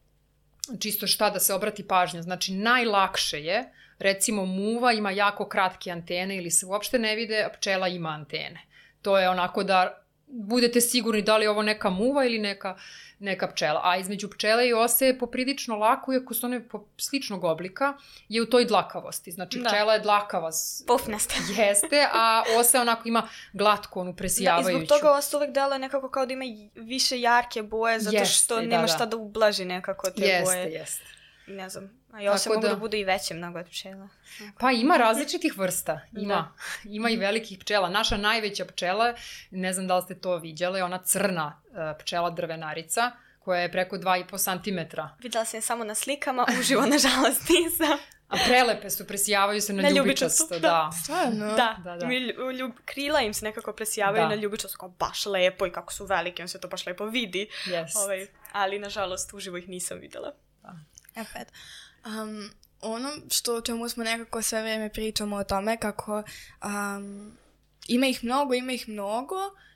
C: čisto šta da se obrati pažnja, znači najlakše je, recimo muva ima jako kratke antene ili se uopšte ne vide, a pčela ima antene. To je onako da budete sigurni da li je ovo neka muva ili neka, neka pčela. A između pčele i ose je poprilično lako, iako su one sličnog oblika, je u toj dlakavosti. Znači da. Pčela je dlakava.
B: Pufnasta.
C: Jeste, a osa onako ima glatko, onu presijavajuću.
B: Da, i zbog toga osa uvek deluje nekako kao da ima više jarke boje, zato jeste, što nema da, šta da ublaži nekako te
C: jeste,
B: boje.
C: Jeste, jeste.
B: Ne znam, a i ose mogu da, da budu i veće mnogo od pčela.
C: Pa ima različitih vrsta, ima. Da. Ima i velikih pčela. Naša najveća pčela, ne znam da li ste to viđale, ona crna pčela drvenarica, koja je preko dva i po santimetra.
B: Videla sam je samo na slikama, uživo nažalost nisam.
C: A prelepe su, presijavaju se na, na ljubičasto. Da,
B: da.
A: Stvarno?
B: Da, da, da. Ljub, krila im se nekako presijavaju da. Na ljubičasto, kao baš lepo i kako su velike, on se to baš lepo vidi.
C: Yes.
B: Ovaj, ali nažalost uživo ih nisam videla.
C: Da.
A: Opet. Um, ono što o čemu smo nekako sve vrijeme pričamo o tome kako um, ima ih mnogo, ima ih mnogo,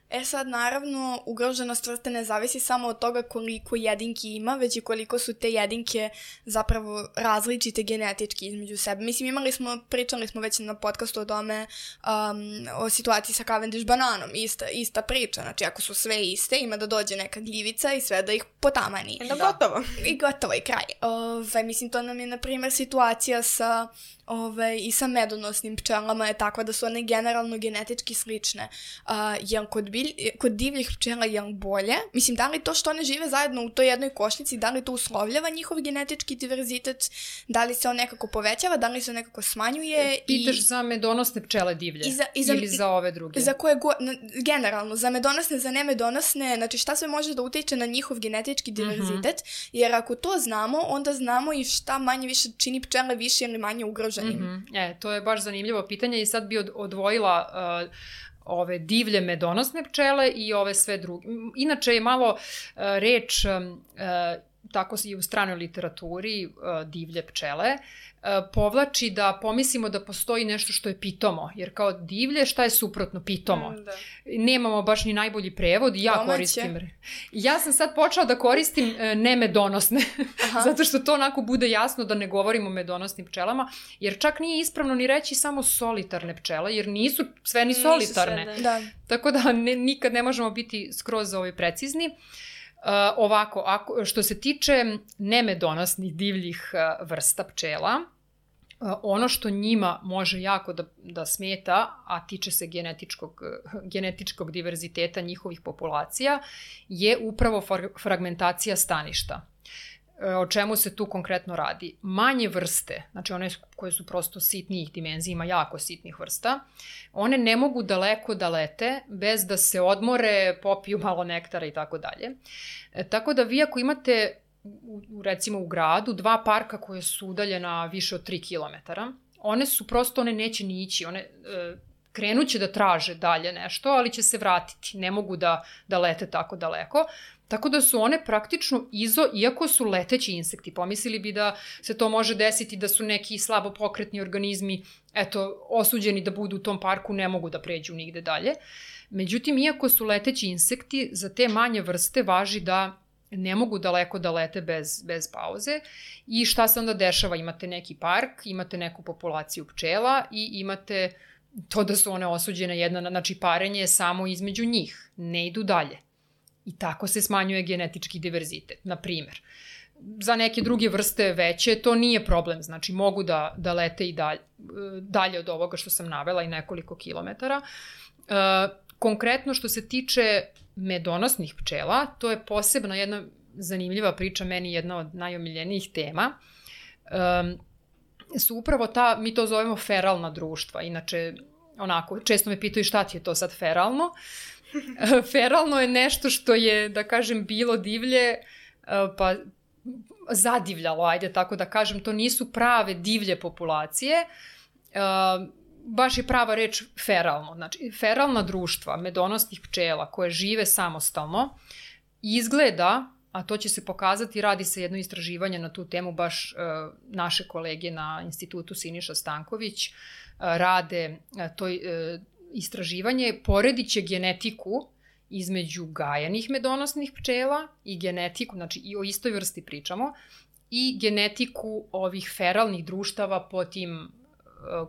A: e sad naravno ugroženost vrste ne zavisi samo od toga koliko jedinki ima, već i koliko su te jedinke zapravo različite genetički između sebe. Mislim, imali smo, pričali smo već na podcastu o tome, um, o situaciji sa Cavendish bananom, ista, ista priča, znači ako su sve iste, ima da dođe neka gljivica i sve da ih potamani.
B: Da, gotovo.
A: I gotovo i kraj. Ove, mislim, to nam je, na primjer, situacija sa Ove, i sa medonosnim pčelama je takva da su one generalno genetički slične. Uh, jel kod, bilj, kod divljih pčela je bolje? Mislim, da li to što one žive zajedno u toj jednoj košnici, da li to uslovljava njihov genetički diverzitet? Da li se on nekako povećava? Da li se on nekako smanjuje?
C: Pitaš i... za medonosne pčele divlje? I za, i za, ili za ove druge?
A: Za koje go, na, generalno, za medonosne, za nemedonosne, znači šta sve može da utiče na njihov genetički diverzitet? Mm-hmm. Jer ako to znamo, onda znamo i šta manje više čini pčele više ili manje ugrožene.
C: Mm-hmm. E, to je baš zanimljivo pitanje i sad bi od, odvojila uh, ove divlje medonosne pčele i ove sve druge. Inače je malo uh, reč, um, uh, tako i u stranoj literaturi, uh, divlje pčele, uh, povlači da pomislimo da postoji nešto što je pitomo, jer kao divlje šta je suprotno pitomo? Mm, da. Nemamo baš ni najbolji prevod, ja Domaće. koristim. Ja sam sad počela da koristim uh, nemedonosne, zato što to onako bude jasno da ne govorimo o medonosnim pčelama, jer čak nije ispravno ni reći samo solitarne pčele, jer nisu sve ni solitarne.
A: Nisu sve, da.
C: Tako da ne, nikad ne možemo biti skroz ovaj precizni. Uh, ovako, ako, što se tiče nemedonosnih divljih uh, vrsta pčela, uh, ono što njima može jako da, da smeta, a tiče se genetičkog, uh, genetičkog diverziteta njihovih populacija, je upravo for, fragmentacija staništa. O čemu se tu konkretno radi? Manje vrste, znači one koje su prosto sitnijih dimenzija, ima jako sitnih vrsta, one ne mogu daleko da lete bez da se odmore, popiju malo nektara i tako dalje. Tako da vi ako imate, u, recimo u gradu, dva parka koje su udaljena više od tri kilometara, one su prosto, one neće ni ići, one... E, krenuće da traže dalje nešto, ali će se vratiti. Ne mogu da, da lete tako daleko. Tako da su one praktično izo, iako su leteći insekti, pomislili bi da se to može desiti da su neki slabo pokretni organizmi, eto, osuđeni da budu u tom parku, ne mogu da pređu nigde dalje. Međutim, iako su leteći insekti, za te manje vrste važi da ne mogu daleko da lete bez, bez pauze. I šta se onda dešava? Imate neki park, imate neku populaciju pčela i imate to da su one osuđene jedna, znači parenje je samo između njih, ne idu dalje. I tako se smanjuje genetički diverzitet, na primjer. Za neke druge vrste veće to nije problem, znači mogu da, da lete i dalje, dalje od ovoga što sam navela i nekoliko kilometara. E, konkretno što se tiče medonosnih pčela, to je posebno jedna zanimljiva priča, meni jedna od najomiljenijih tema, e, su upravo ta, mi to zovemo feralna društva, inače onako, često me pitaju šta ti je to sad feralno. Feralno je nešto što je, da kažem, bilo divlje, pa zadivljalo, ajde tako da kažem, to nisu prave divlje populacije, baš je prava reč feralno. Znači, feralna društva medonosnih pčela koje žive samostalno izgleda, a to će se pokazati, radi se jedno istraživanje na tu temu, baš naše kolege na institutu Siniša Stanković rade to istraživanje, poredit će genetiku između gajanih medonosnih pčela i genetiku, znači i o istoj vrsti pričamo, i genetiku ovih feralnih društava po tim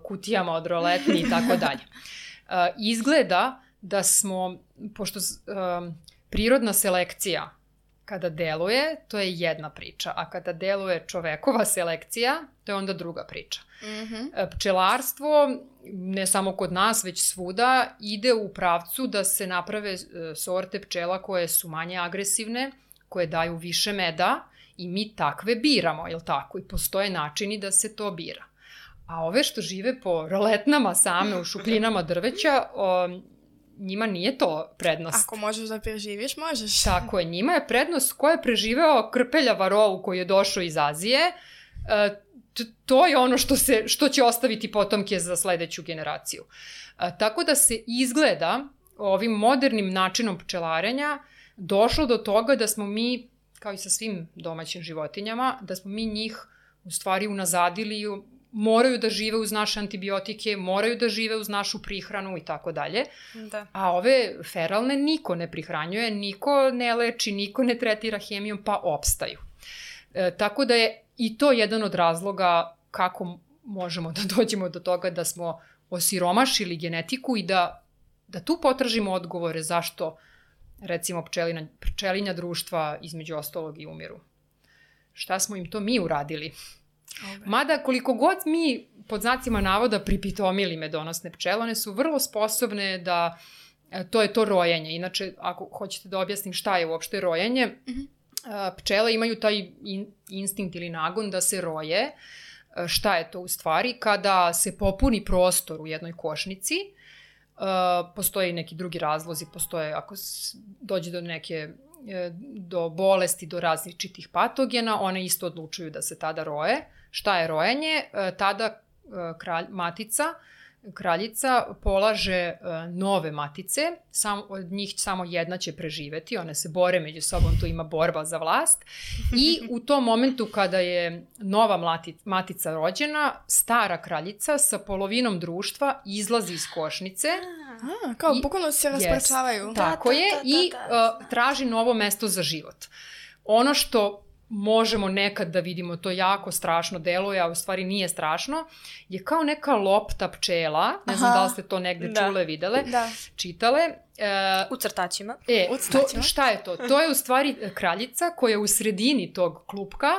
C: kutijama od roletni i tako dalje. Izgleda da smo, pošto prirodna selekcija kada deluje, to je jedna priča, a kada deluje čovekova selekcija, to je onda druga priča. Mm-hmm. Pčelarstvo, ne samo kod nas, već svuda, ide u pravcu da se naprave sorte pčela koje su manje agresivne, koje daju više meda i mi takve biramo, jel tako? I postoje načini da se to bira. A ove što žive po roletnama same u šupljinama drveća, o, njima nije to prednost.
A: Ako možeš da preživiš, možeš.
C: Tako je, njima je prednost ko je preživeo krpelja varovu koji je došao iz Azije. E, t- to je ono što, se, što će ostaviti potomke za sledeću generaciju. E, tako da se izgleda ovim modernim načinom pčelarenja došlo do toga da smo mi, kao i sa svim domaćim životinjama, da smo mi njih u stvari unazadili, moraju da žive uz naše antibiotike, moraju da žive uz našu prihranu i tako dalje.
B: Da.
C: A ove feralne niko ne prihranjuje, niko ne leči, niko ne tretira hemijom, pa opstaju. E, tako da je i to jedan od razloga kako možemo da dođemo do toga da smo osiromašili genetiku i da, da tu potražimo odgovore zašto, recimo, pčelina, pčelinja društva između ostalog i umiru. Šta smo im to mi uradili? Okay. Mada koliko god mi pod znacima navoda pripitomili medonosne pčele, one su vrlo sposobne da, to je to rojenje. Inače, ako hoćete da objasnim šta je uopšte rojenje, mm-hmm. pčele imaju taj in, instinkt ili nagon da se roje. Šta je to u stvari? Kada se popuni prostor u jednoj košnici, postoje i neki drugi razlozi, postoje ako dođe do neke do bolesti, do različitih patogena, one isto odlučuju da se tada roje. Šta je rojenje? Tada kralj, matica, kraljica polaže nove matice, sam, od njih samo jedna će preživeti, one se bore među sobom, tu ima borba za vlast i u tom momentu kada je nova mlati, matica rođena, stara kraljica sa polovinom društva izlazi iz košnice.
A: A, kao bukvalno se rasparčavaju.
C: Yes, tako da, je da, da, i da. Uh, traži novo mesto za život. Ono što možemo nekad da vidimo, to jako strašno deluje, a u stvari nije strašno, je kao neka lopta pčela, ne Aha, znam da li ste to negde da. čule, videle, da. čitale.
B: E, u crtačima.
C: E, u crtačima. To, šta je to? To je u stvari kraljica koja u sredini tog klupka,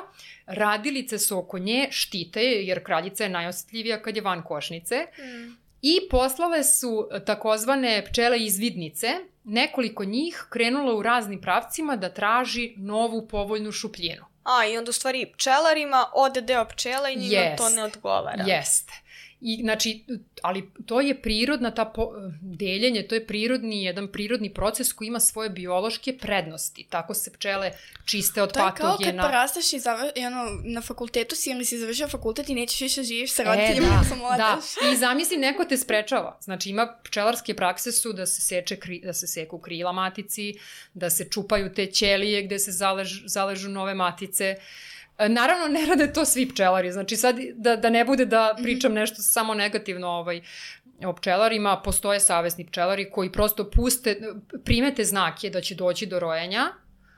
C: radilice su oko nje, štite, jer kraljica je najosjetljivija kad je van košnice, mm. i poslale su takozvane pčele izvidnice, nekoliko njih krenulo u raznim pravcima da traži novu povoljnu šupljinu.
B: A, i onda u stvari pčelarima ode deo pčela i njima
C: Jest.
B: to ne odgovara.
C: Jeste. I, znači, ali to je prirodna, ta po, deljenje, to je prirodni, jedan prirodni proces koji ima svoje biološke prednosti. Tako se pčele čiste od patogena. To je
A: kao kad porasteš i, završ, i ono, na fakultetu si ili si završio fakultet i nećeš više živiš sa roditeljima
C: e,
A: da sam odeš.
C: Da, i zamisli, neko te sprečava. Znači, ima pčelarske prakse su da se, seče, da se seku krila matici, da se čupaju te ćelije gde se zalež, zaležu nove matice. Naravno, ne rade to svi pčelari, znači sad da, da ne bude da pričam nešto samo negativno ovaj, o pčelarima, postoje savesni pčelari koji prosto puste, primete znake da će doći do rojenja,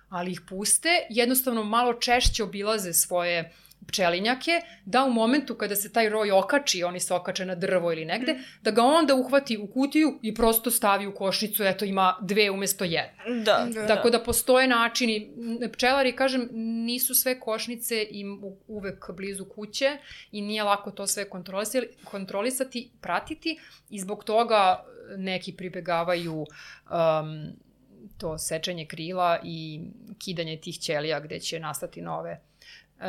C: ali ih puste, jednostavno malo češće obilaze svoje pčelinjake, da u momentu kada se taj roj okači, oni se okače na drvo ili negde, mm. da ga onda uhvati u kutiju i prosto stavi u košnicu, eto ima dve umesto jedne.
B: Da, da.
C: Tako da postoje načini, pčelari, kažem, nisu sve košnice im uvek blizu kuće i nije lako to sve kontrolisati, kontrolisati pratiti i zbog toga neki pribegavaju um, to sečenje krila i kidanje tih ćelija gde će nastati nove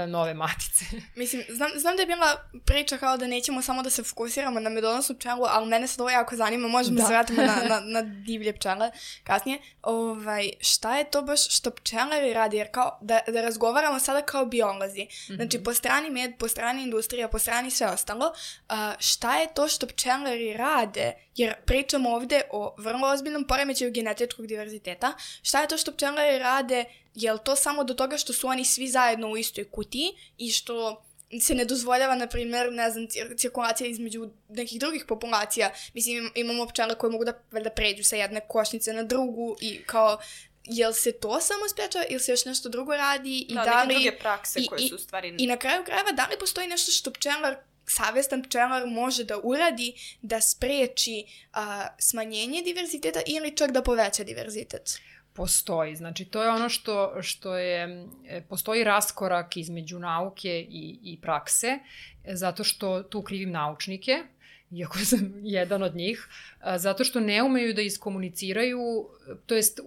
C: nove matice.
A: Mislim, znam, znam da je bila priča kao da nećemo samo da se fokusiramo na medonosnu pčelu, ali mene sad ovo jako zanima, možemo da se vratimo na, na, na divlje pčele kasnije. Ovaj, šta je to baš što pčelari radi? Jer kao, da, da razgovaramo sada kao biolozi. Mm-hmm. Znači, po strani med, po strani industrija, po strani sve ostalo, uh, šta je to što pčelari rade? Jer pričamo ovde o vrlo ozbiljnom poremećaju genetičkog diverziteta. Šta je to što pčelari rade? Je li to samo do toga što su oni svi zajedno u istoj kutiji i što se ne dozvoljava, na primjer, ne znam, cirkulacija između nekih drugih populacija? Mislim, imamo pčele koje mogu da, da pređu sa jedne košnice na drugu i kao, jel se to samo sprečava ili se još nešto drugo radi? I
B: da,
A: da
B: neke
A: li,
B: druge prakse
A: i,
B: koje su stvari...
A: I na kraju krajeva, da li postoji nešto što pčelar, savestan pčelar može da uradi da spreči a, smanjenje diverziteta ili čak da poveća diverzitet?
C: Postoji. Znači, to je ono što, što je, postoji raskorak između nauke i, i prakse, zato što tu krivim naučnike, iako sam jedan od njih, zato što ne umeju da iskomuniciraju, to jest,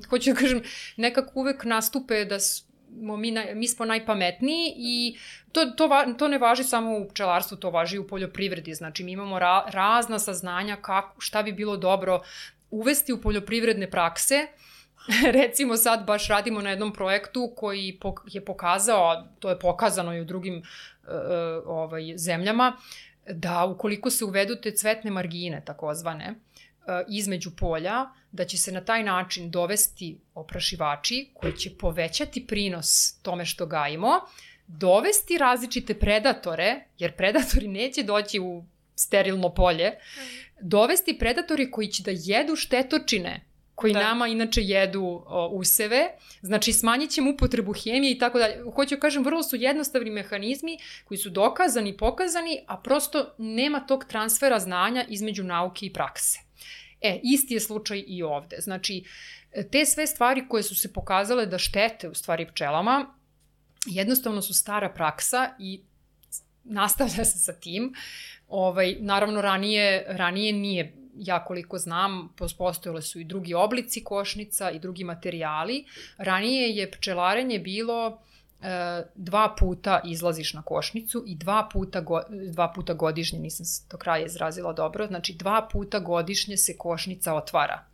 C: hoću da kažem, nekako uvek nastupe da smo mi, naj, mi smo najpametniji i to, to, to ne važi samo u pčelarstvu, to važi i u poljoprivredi. Znači, mi imamo ra, razna saznanja kako, šta bi bilo dobro uvesti u poljoprivredne prakse. Recimo sad baš radimo na jednom projektu koji je pokazao, to je pokazano i u drugim uh, ovaj, zemljama, da ukoliko se uvedu te cvetne margine, takozvane, uh, između polja, da će se na taj način dovesti oprašivači koji će povećati prinos tome što gajimo, dovesti različite predatore, jer predatori neće doći u sterilno polje, dovesti predatori koji će da jedu štetočine koji da. nama inače jedu o, useve, znači smanjit ćemo upotrebu hemije i tako dalje. Hoću kažem, vrlo su jednostavni mehanizmi koji su dokazani, pokazani, a prosto nema tog transfera znanja između nauke i prakse. E, isti je slučaj i ovde. Znači, te sve stvari koje su se pokazale da štete u stvari pčelama, jednostavno su stara praksa i nastavlja se sa tim. Ovaj, naravno, ranije, ranije nije, ja koliko znam, postojale su i drugi oblici košnica i drugi materijali. Ranije je pčelarenje bilo e, dva puta izlaziš na košnicu i dva puta, go, dva puta godišnje, nisam se do kraja izrazila dobro, znači dva puta godišnje se košnica otvara.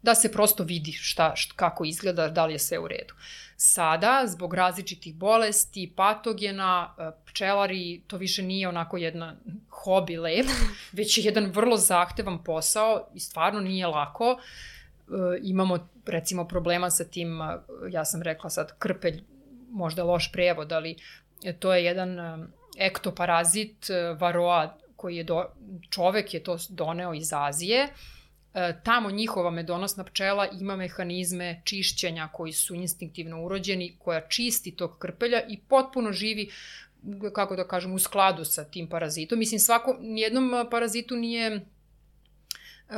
C: Da se prosto vidi šta, šta, kako izgleda, da li je sve u redu. Sada, zbog različitih bolesti, patogena, pčelari, to više nije onako jedna hobi lep, već je jedan vrlo zahtevan posao i stvarno nije lako. E, imamo, recimo, problema sa tim, ja sam rekla sad krpelj, možda loš prevod, ali to je jedan ektoparazit varoa koji je, do, čovek je to doneo iz Azije. Tamo njihova medonosna pčela ima mehanizme čišćenja koji su instinktivno urođeni, koja čisti tog krpelja i potpuno živi, kako da kažem, u skladu sa tim parazitom. Mislim, svako, nijednom parazitu nije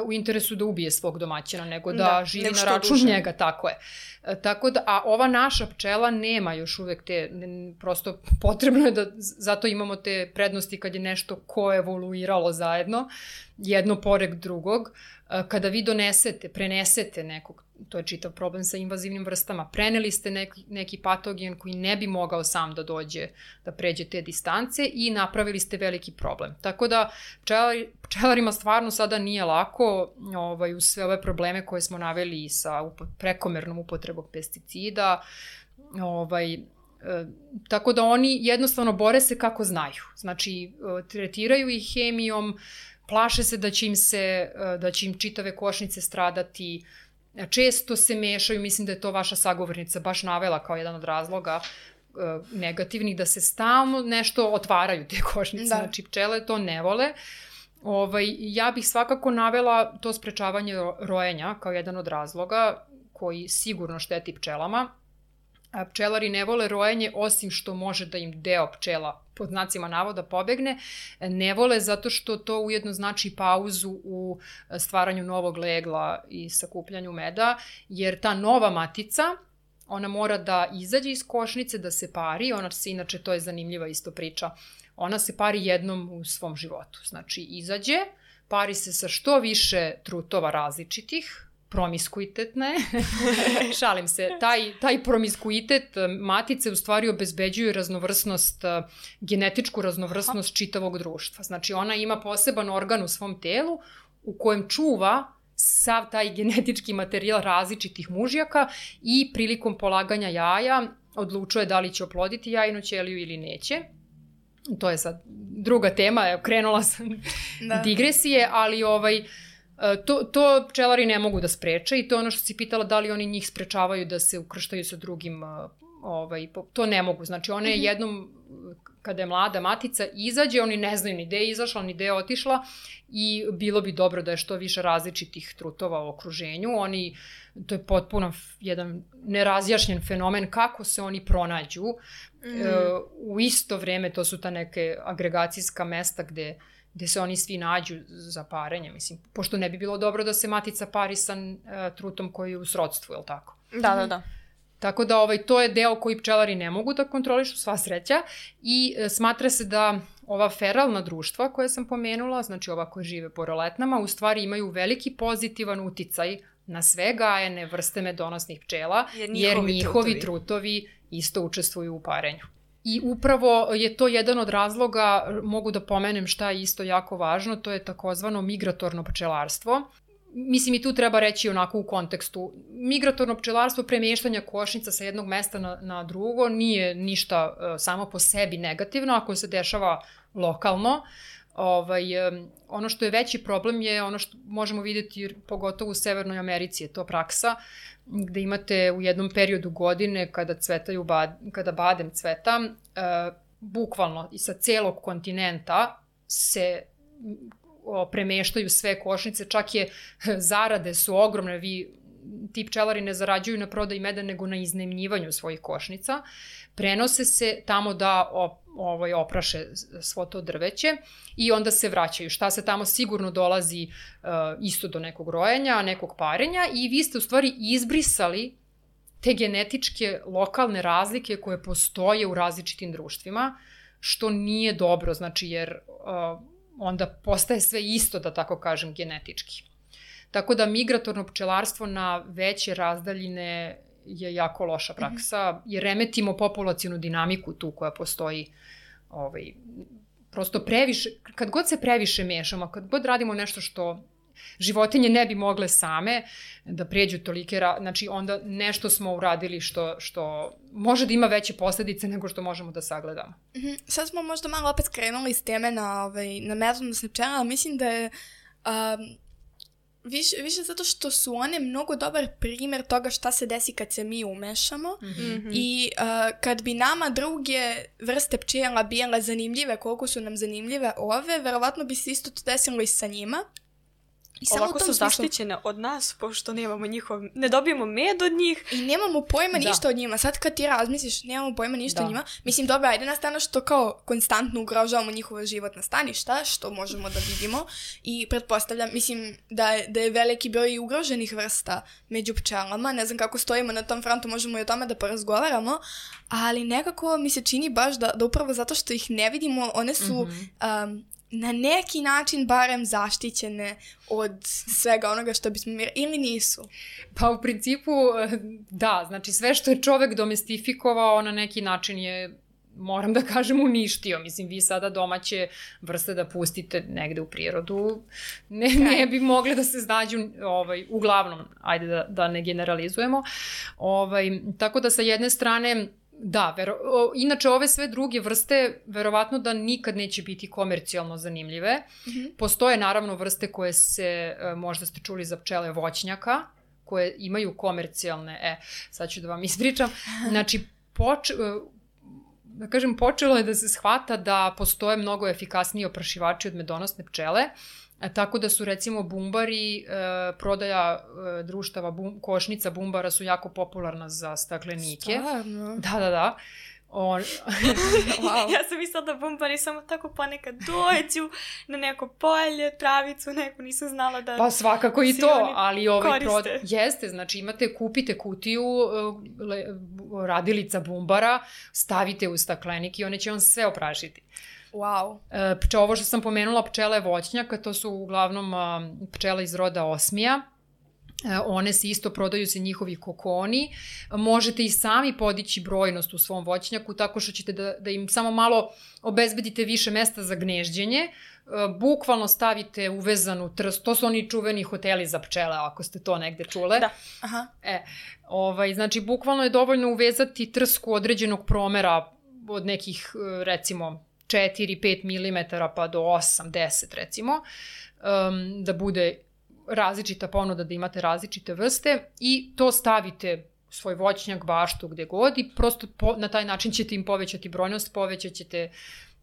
C: u interesu da ubije svog domaćina, nego da, da živi na račun duže. njega, tako je. Tako da, a ova naša pčela nema još uvek te, prosto potrebno je da, zato imamo te prednosti kad je nešto koevoluiralo zajedno, jedno pored drugog. Kada vi donesete, prenesete nekog, to je čitav problem sa invazivnim vrstama, preneli ste neki, neki patogen koji ne bi mogao sam da dođe, da pređe te distance i napravili ste veliki problem. Tako da pčelari, pčelarima stvarno sada nije lako ovaj, uz sve ove probleme koje smo naveli sa upo, prekomernom upotrebom pesticida, ovaj, e, tako da oni jednostavno bore se kako znaju. Znači, e, tretiraju ih hemijom, plaše se da će im se, da će im čitave košnice stradati, često se mešaju, mislim da je to vaša sagovornica baš navela kao jedan od razloga negativnih, da se stalno nešto otvaraju te košnice, da. Znači pčele to ne vole. Ovaj, ja bih svakako navela to sprečavanje rojenja kao jedan od razloga koji sigurno šteti pčelama. A pčelari ne vole rojenje osim što može da im deo pčela pod znacima navoda pobegne, ne vole zato što to ujedno znači pauzu u stvaranju novog legla i sakupljanju meda, jer ta nova matica, ona mora da izađe iz košnice, da se pari, ona se, inače to je zanimljiva isto priča, ona se pari jednom u svom životu, znači izađe, pari se sa što više trutova različitih, promiskuitetne, šalim se, taj, taj promiskuitet matice u stvari obezbeđuju raznovrsnost, genetičku raznovrsnost čitavog društva. Znači ona ima poseban organ u svom telu u kojem čuva sav taj genetički materijal različitih mužjaka i prilikom polaganja jaja odlučuje da li će oploditi jajnu ćeliju ili neće. To je sad druga tema, krenula sam da. digresije, ali ovaj... To, to pčelari ne mogu da spreče i to je ono što si pitala da li oni njih sprečavaju da se ukrštaju sa drugim, ovaj, to ne mogu. Znači one mm-hmm. jednom, kada je mlada matica, izađe, oni ne znaju ni gde je izašla, ni gde je otišla i bilo bi dobro da je što više različitih trutova u okruženju. Oni, to je potpuno jedan nerazjašnjen fenomen kako se oni pronađu. Mm-hmm. E, u isto vreme to su ta neke agregacijska mesta gde gde se oni svi nađu za parenje, mislim, pošto ne bi bilo dobro da se matica pari sa uh, trutom koji je u srodstvu, je li tako?
B: Da, da, da.
C: Tako da ovaj, to je deo koji pčelari ne mogu da kontrolišu, sva sreća, i uh, smatra se da ova feralna društva koje sam pomenula, znači ova koja žive po roletnama, u stvari imaju veliki pozitivan uticaj na sve gajene vrste medonosnih pčela, jer njihovi, jer njihovi trutovi. trutovi isto učestvuju u parenju. I upravo je to jedan od razloga, mogu da pomenem šta je isto jako važno, to je takozvano migratorno pčelarstvo. Mislim i tu treba reći onako u kontekstu. Migratorno pčelarstvo, premještanja košnica sa jednog mesta na, na drugo, nije ništa uh, samo po sebi negativno ako se dešava lokalno. Ovaj, um, ono što je veći problem je ono što možemo vidjeti pogotovo u Severnoj Americi, je to praksa gde imate u jednom periodu godine kada cvetaju, bad, kada badem cveta, uh, bukvalno i sa celog kontinenta se o, premeštaju sve košnice, čak je zarade su ogromne, vi, ti pčelari ne zarađuju na prodaji meda nego na iznajmljivanju svojih košnica, prenose se tamo da op, ovaj, opraše svo to drveće i onda se vraćaju. Šta se tamo sigurno dolazi uh, isto do nekog rojenja, nekog parenja i vi ste u stvari izbrisali te genetičke lokalne razlike koje postoje u različitim društvima, što nije dobro, znači jer uh, onda postaje sve isto, da tako kažem, genetički. Tako da migratorno pčelarstvo na veće razdaljine je jako loša praksa, mm-hmm. jer remetimo populacijnu dinamiku tu koja postoji. Ovaj, prosto previše, kad god se previše mešamo, kad god radimo nešto što životinje ne bi mogle same da pređu tolike, znači onda nešto smo uradili što, što može da ima veće posljedice nego što možemo da sagledamo.
A: Mm-hmm. Sad smo možda malo opet skrenuli s teme na, ovaj, na medonosne pčele, ali mislim da je um, Više, više zato što su one mnogo dobar primjer toga šta se desi kad se mi umešamo mm-hmm. i uh, kad bi nama druge vrste pčela bile zanimljive, koliko su nam zanimljive ove, verovatno bi se isto to desilo i sa njima.
B: I ovako su zaštićene od nas, pošto nemamo njihov, ne dobijemo med od njih.
A: I nemamo pojma da. ništa od njima. Sad kad ti razmisliš, nemamo pojma ništa da. od njima. Mislim, dobro, ajde na stranu što kao konstantno ugrožavamo njihovo životna staništa, što možemo da vidimo. I pretpostavljam, mislim, da je, da je veliki broj ugroženih vrsta među pčelama. Ne znam kako stojimo na tom frontu, možemo i o tome da porazgovaramo. Ali nekako mi se čini baš da, da upravo zato što ih ne vidimo, one su... Mm-hmm. Um, na neki način barem zaštićene od svega onoga što bismo mi... ili nisu?
C: Pa u principu da, znači sve što je čovek domestifikovao na neki način je, moram da kažem, uništio. Mislim, vi sada domaće vrste da pustite negde u prirodu, ne, ne bi mogle da se znađu, ovaj, uglavnom, ajde da, da ne generalizujemo. Ovaj, tako da sa jedne strane, da, vero, o, inače ove sve druge vrste verovatno da nikad neće biti komercijalno zanimljive. Mm-hmm. Postoje naravno vrste koje se, možda ste čuli za pčele voćnjaka, koje imaju komercijalne, e, sad ću da vam ispričam, znači, poč, da kažem, počelo je da se shvata da postoje mnogo efikasniji oprašivači od medonosne pčele, tako da su recimo bumbari, e, prodaja e, društava bum, košnica bumbara su jako popularna za staklenike.
A: Stvarno?
C: Da, da, da. On...
B: wow. Ja sam mislila da bumbari samo tako ponekad dođu na neko polje, travicu, neko, nisam znala da...
C: Pa svakako i to, ali ovaj prod... Jeste, znači imate, kupite kutiju le, radilica bumbara, stavite u staklenik i one će vam sve oprašiti.
A: Wow.
C: E, ovo što sam pomenula, pčele voćnjaka, to su uglavnom a, pčele iz roda osmija. One se isto, prodaju se njihovi kokoni. Možete i sami podići brojnost u svom voćnjaku tako što ćete da, da im samo malo obezbedite više mesta za gnežđenje. Bukvalno stavite uvezanu trs, to su oni čuveni hoteli za pčele, ako ste to negde čule.
A: Da. Aha.
C: E, ovaj, znači, bukvalno je dovoljno uvezati trsku određenog promera od nekih, recimo, četiri do pet milimetara pa do osam do deset, recimo, um, da bude različita ponuda, da imate različite vrste i to stavite u svoj voćnjak, baštu, gde god i prosto po, na taj način ćete im povećati brojnost, povećat ćete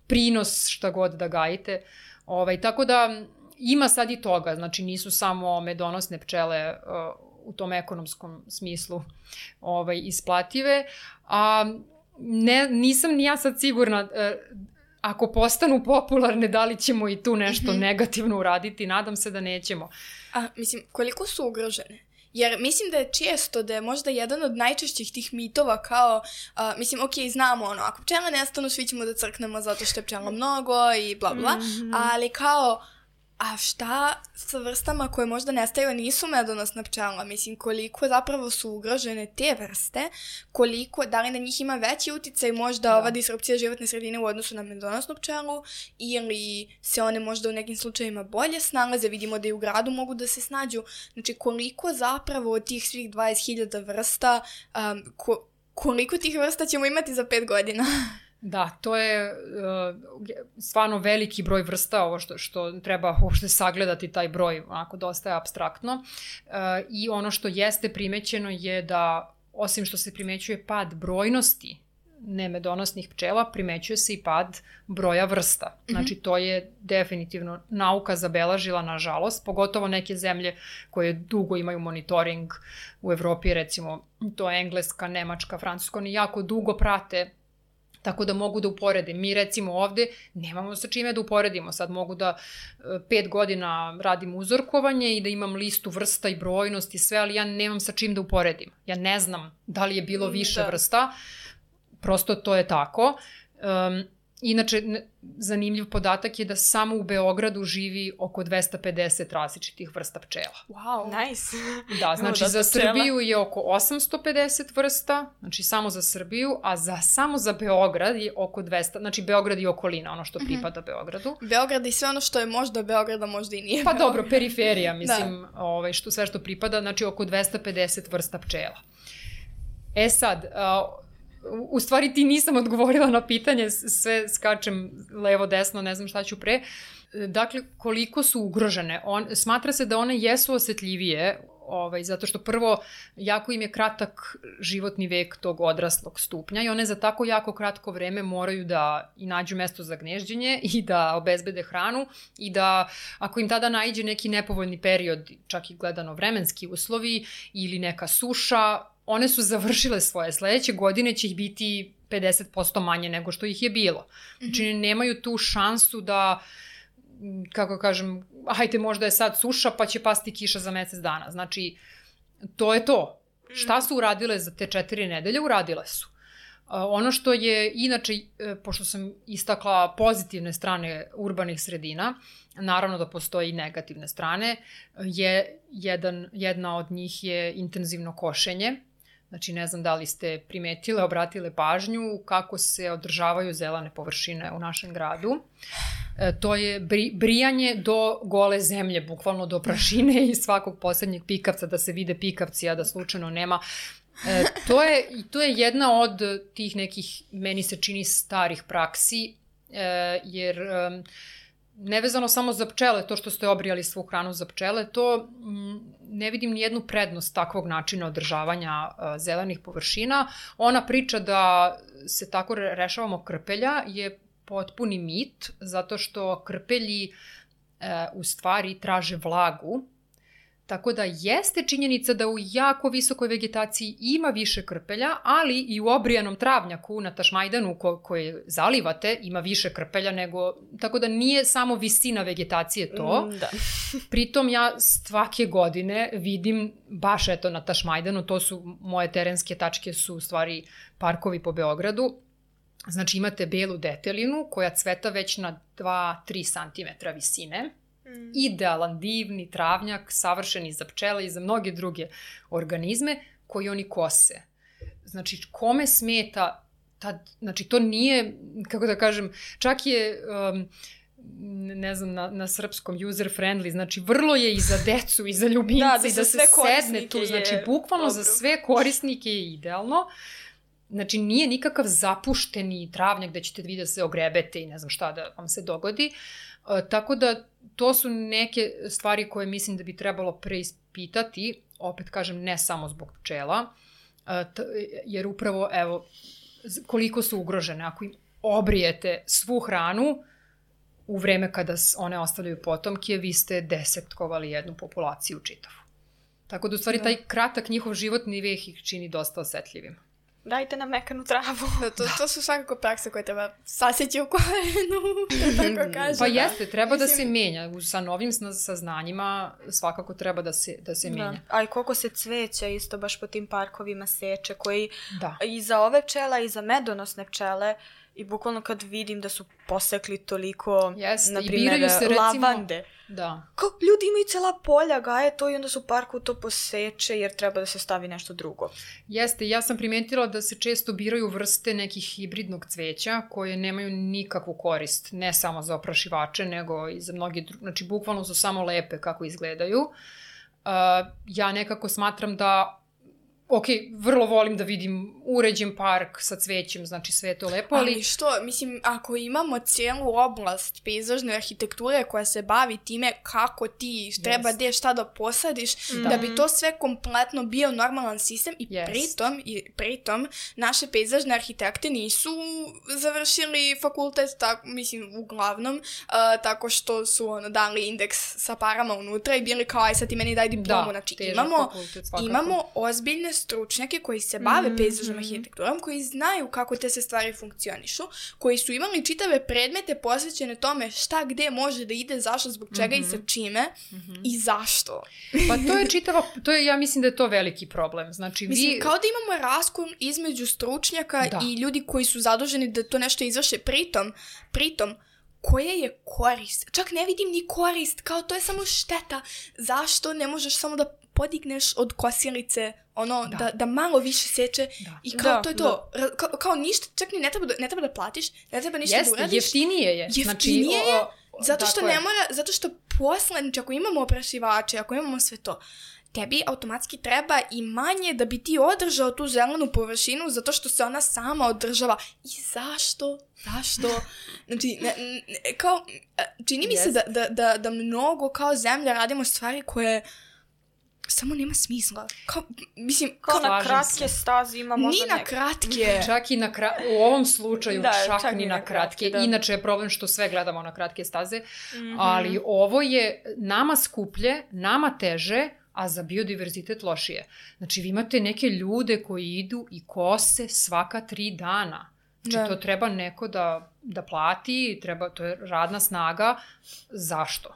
C: prinos šta god da gajite. Ovaj, tako da ima sad i toga, znači nisu samo medonosne pčele uh, u tom ekonomskom smislu ovaj, isplative, a ne, nisam ni ja sad sigurna uh, ako postanu popularne, da li ćemo i tu nešto mm-hmm. negativno uraditi, nadam se da nećemo.
A: A, mislim, koliko su ugrožene? Jer mislim da je često, da je možda jedan od najčešćih tih mitova kao, uh, mislim, ok, znamo ono, ako pčela nestanu, svi ćemo da crknemo zato što je pčela mnogo i bla bla, mm-hmm. ali kao, a šta sa vrstama koje možda nestaju, nisu medonosna pčela? Mislim, koliko zapravo su ugrožene te vrste, koliko, da li na njih ima veći uticaj možda da. ova disrupcija životne sredine u odnosu na medonosnu pčelu, ili se one možda u nekim slučajima bolje snalaze, vidimo da i u gradu mogu da se snađu. Znači, koliko zapravo od tih svih dvadeset hiljada vrsta, um, ko, koliko tih vrsta ćemo imati za pet godina?
C: Da, to je uh, stvarno veliki broj vrsta, ovo što, što treba uopšte sagledati taj broj, onako dosta je apstraktno. Uh, I ono što jeste primećeno je da, osim što se primećuje pad brojnosti nemedonosnih pčela, primećuje se i pad broja vrsta. Znači, to je definitivno nauka zabeležila, nažalost, pogotovo neke zemlje koje dugo imaju monitoring u Evropi, recimo, to je Engleska, Nemačka, Francuska, oni jako dugo prate, tako da mogu da uporede. Mi recimo ovde nemamo sa čime da uporedimo. Sad mogu da pet godina radim uzorkovanje i da imam listu vrsta i brojnost i sve, ali ja nemam sa čim da uporedim. Ja ne znam da li je bilo više da. vrsta. Prosto to je tako. Um, inače, zanimljiv podatak je da samo u Beogradu živi oko dvesta pedeset različitih vrsta pčela.
B: Wow, nice.
C: Da, znači za Srbiju je oko osamsto pedeset vrsta, znači samo za Srbiju, a za, samo za Beograd je oko dvesta, znači Beograd i okolina, ono što pripada mm-hmm. Beogradu.
A: Beograd i sve ono što je možda Beograda, možda i nije
C: Pa Beograd. Dobro, periferija, mislim, ovaj, što, sve što pripada, znači oko dvesta pedeset vrsta pčela. E sad, uh, u stvari ti nisam odgovorila na pitanje, sve skačem levo, desno, ne znam šta ću pre. Dakle, koliko su ugrožene? On, smatra se da one jesu osetljivije, ovaj, zato što prvo, jako im je kratak životni vek tog odraslog stupnja i one za tako jako kratko vreme moraju da i nađu mesto za gnežđenje i da obezbede hranu i da, ako im tada naiđe neki nepovoljni period, čak i gledano vremenski uslovi ili neka suša, one su završile svoje. Sledeće godine će ih biti pedeset posto manje nego što ih je bilo. Znači, nemaju tu šansu da, kako kažem, hajde, možda je sad suša pa će pasti kiša za mesec dana. Znači, to je to. Šta su uradile za te četiri nedelje? Uradile su. Ono što je inače, pošto sam istakla pozitivne strane urbanih sredina, naravno da postoji i negativne strane, je jedan, jedna od njih je intenzivno košenje. Znači, ne znam da li ste primetile, obratile pažnju kako se održavaju zelene površine u našem gradu. E, to je bri, brijanje do gole zemlje, bukvalno do prašine i svakog poslednjeg pikavca, da se vide pikavci, a da slučajno nema. E, to, je, to je jedna od tih nekih, meni se čini, starih praksi, e, jer e, nevezano samo za pčele, to što ste obrijali svu hranu za pčele, to m, ne vidim ni jednu prednost takvog načina održavanja a, zelenih površina. Ona priča da se tako rešavamo krpelja je potpuni mit, zato što krpelji e, u stvari traže vlagu. Tako da jeste činjenica da u jako visokoj vegetaciji ima više krpelja, ali i u obrijanom travnjaku na Tašmajdanu ko, koje zalivate ima više krpelja nego... Tako da nije samo visina vegetacije to.
B: Mm, da.
C: Pritom ja svake godine vidim baš eto na Tašmajdanu, to su moje terenske tačke su u stvari parkovi po Beogradu. Znači imate belu detelinu koja cveta već na dva do tri santimetra visine. Mm. Idealan, divni travnjak, savršeni za pčele i za mnoge druge organizme koji oni kose. Znači, kome smeta, ta, znači to nije, kako da kažem, čak je, um, ne znam, na, na srpskom user friendly, znači vrlo je i za decu i za ljubimce da, da, i da se sedne tu, znači bukvalno dobro. Za sve korisnike je idealno. Znači, nije nikakav zapušteni travnjak da ćete vi da se ogrebete i ne znam šta da vam se dogodi. Uh, tako da to su neke stvari koje mislim da bi trebalo preispitati, opet kažem ne samo zbog pčela, uh, t- jer upravo evo koliko su ugrožene. Ako im obrijete svu hranu u vreme kada one ostavljaju potomke, vi ste desetkovali jednu populaciju čitavu. Tako da u stvari da. Taj kratak njihov životni vek ih čini dosta osetljivim.
B: Dajte nam mekanu travu.
A: Da, to, to su svakako prakse koje treba saseći u korenu, tako kažem.
C: Pa jeste, treba Mislim... da se menja. Sa novim saznanjima svakako treba da se, da se menja.
B: Da. A i koliko se cveća isto baš po tim parkovima seče, koji
C: da.
B: I za ove pčela i za medonosne pčele, i bukvalno kad vidim da su posekli toliko,
C: Jeste,
B: na primjer, se, recimo, lavande.
C: Da.
B: Kao ljudi imaju cela polja, gaje to i onda su u parku to poseče jer treba da se stavi nešto drugo.
C: Jeste, ja sam primetila da se često biraju vrste nekih hibridnog cveća koje nemaju nikakvu korist, ne samo za oprašivače, nego i za mnogi drugi, znači bukvalno su samo lepe kako izgledaju. Uh, ja nekako smatram da ok, vrlo volim da vidim uređen park sa cvećem, znači sve je to lepo, ali...
A: Ali što, mislim, ako imamo cijelu oblast pejzažne arhitekture koja se bavi time kako ti treba yes. gde šta da posadiš, da. da bi to sve kompletno bio normalan sistem i yes. pritom, i pritom naše pejzažne arhitekte nisu završili fakultet, tak, mislim, uglavnom, uh, tako što su ono, dali indeks sa parama unutra i bili kao, aj sad ti meni daj diplomu, da, znači imamo, fakultet, imamo ozbiljne stručnjake koji se bave mm, pejzažnom mm. arhitekturom, koji znaju kako te se stvari funkcionišu, koji su imali čitave predmete posvećene tome šta gde može da ide, zašto, zbog čega mm-hmm. i sa čime mm-hmm. i zašto.
C: Pa to je čitava, to je, ja mislim da je to veliki problem. Znači,
A: mislim,
C: vi...
A: kao da imamo raskon između stručnjaka da. I ljudi koji su zaduženi da to nešto izvrše, pritom, pritom, koja je korist? Čak ne vidim ni korist, kao to je samo šteta. Zašto ne možeš samo da podigneš od kosilice, ono, da, da, da malo više seče da. I kao da, to je to. Da. Kao, kao ništa, čak ni ne treba da, ne treba da platiš, ne treba ništa
C: Jeste,
A: da uradiš.
C: Jeftinije je.
A: Jeftinije
C: znači,
A: je,
C: o, o,
A: zato što ne
C: je.
A: mora, zato što posle, znači ako imamo oprašivače, ako imamo sve to, tebi automatski treba i manje da bi ti održao tu zelenu površinu zato što se ona sama održava. I zašto? Zašto? Znači, ne, ne, kao, čini mi yes. se da, da, da, da mnogo kao zemlja radimo stvari koje samo nema smisla. Kao, mislim,
B: kao na kratke se. Staze ima možda
A: Ni na neka. Kratke.
C: Čak i na kratke, u ovom slučaju da, čak, čak ni na kratke. kratke. Da. Inače je problem što sve gledamo na kratke staze, mm-hmm. ali ovo je nama skuplje, nama teže, a za biodiverzitet lošije. Znači, vi imate neke ljude koji idu i kose svaka tri dana. Znači, da. To treba neko da, da plati, treba, to je radna snaga. Zašto?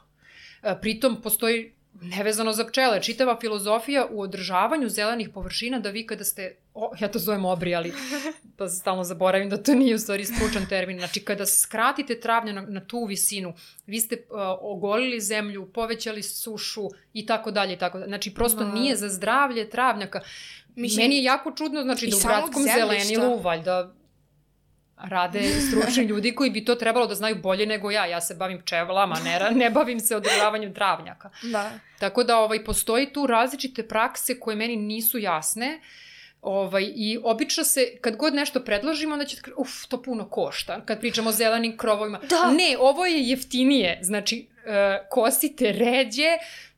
C: Pritom postoji nevezano za pčele, čitava filozofija u održavanju zelenih površina da vi kada ste o, ja to zovem obri, ali pa stalno zaboravim da to nije u stvari stručan termin. Znači, kada skratite travnja na, na tu visinu, vi ste uh, ogolili zemlju, povećali sušu i tako dalje i tako dalje. Znači, prosto no. nije za zdravlje travnjaka. Mislim, meni je jako čudno, znači, da u gradskom zelenilu, valjda, rade stručni ljudi koji bi to trebalo da znaju bolje nego ja. Ja se bavim pčelama, ne, ne bavim se održavanjem travnjaka.
A: Da.
C: Tako da ovaj, postoji tu različite prakse koje meni nisu jasne. Ovaj, i obično se, kad god nešto predložimo, onda će da uf, to puno košta, kad pričamo o zelenim krovovima.
B: Da.
C: Ne, ovo je jeftinije, znači uh, kosite ređe,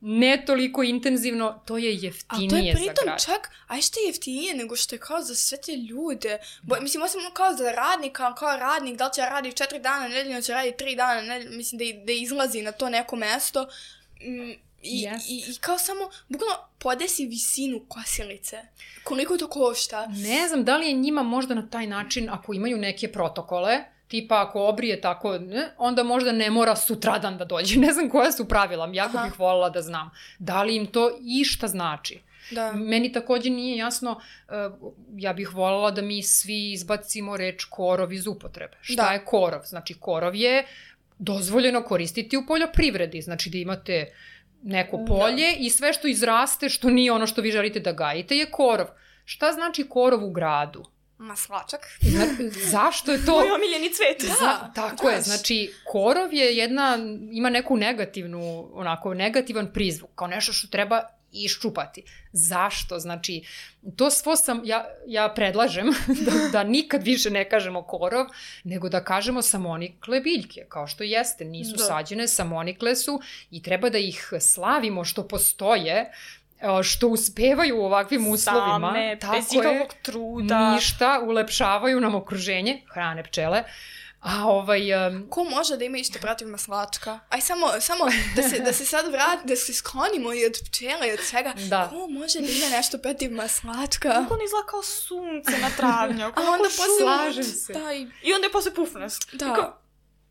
C: ne toliko intenzivno, to je jeftinije za grad.
A: A to je pritom čak, a što je jeftinije nego što je kao za sve te ljude. Bo, mislim, osim kao za radnika, kao radnik, da li će raditi četiri dana nedeljno, će raditi tri dana nedeljno, mislim da, da izlazi na to neko mesto. Mm, I, yes. i, i kao samo, bukvalno podesi visinu kosilice. Koliko to košta?
C: Ne znam, da li je njima možda na taj način, ako imaju neke protokole, tipa ako obrije tako, ne, onda možda ne mora sutradan da dođe. Ne znam koja su pravila, jako Aha. bih voljela da znam. Da li im to išta znači? Da. Meni takođe nije jasno, uh, ja bih voljela da mi svi izbacimo reč korov iz upotrebe. Šta da. je korov? Znači, korov je dozvoljeno koristiti u poljoprivredi. Znači, da imate neko polje da. i sve što izraste, što nije ono što vi želite da gajite, je korov. Šta znači korov u gradu?
A: Maslačak.
C: Zna, zašto je to?
B: Moj omiljeni cvet.
C: Da, Zna, tako daš. je. Znači, korov je jedna, ima neku negativnu, onako, negativan prizvuk, kao nešto što treba iščupati. Zašto? Znači, to svo sam, ja, ja predlažem da, da nikad više ne kažemo korov, nego da kažemo samonikle biljke, kao što jeste. Nisu da. sađene, samonikle su i treba da ih slavimo što postoje, što uspevaju u ovakvim uslovima.
B: Same, bez ikakvog truda.
C: Ništa, ulepšavaju nam okruženje, hrane pčele. A ovaj... Um...
A: Ko može da ima isto protiv maslačka? Aj samo, samo da, se, da se sad vrati, da se sklonimo i od pčela i od svega. Da. Ko može da ima nešto protiv maslačka?
B: Kako on izgleda kao sunce na travnjaku.
A: A onda posle...
C: Slažem se.
A: Da, i...
B: I onda je posle pufnost.
A: Da.
B: Kako...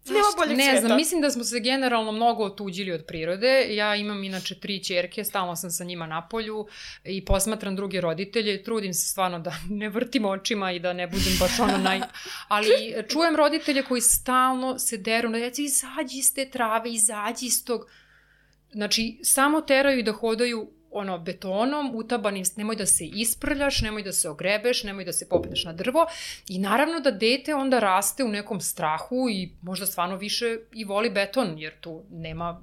B: Nema boljeg
C: ne
B: sveta.
C: znam, mislim da smo se generalno mnogo otuđili od prirode. Ja imam inače tri ćerke, stalno sam sa njima na polju i posmatram druge roditelje. Trudim se stvarno da ne vrtim očima i da ne budem baš ono naj... Ali čujem roditelje koji stalno se deru na djecu, izađi iz te trave, izađi iz tog... Znači, samo teraju da hodaju ono, betonom, utabanim, nemoj da se isprljaš, nemoj da se ogrebeš, nemoj da se popneš na drvo i naravno da dete onda raste u nekom strahu i možda stvarno više i voli beton, jer tu nema...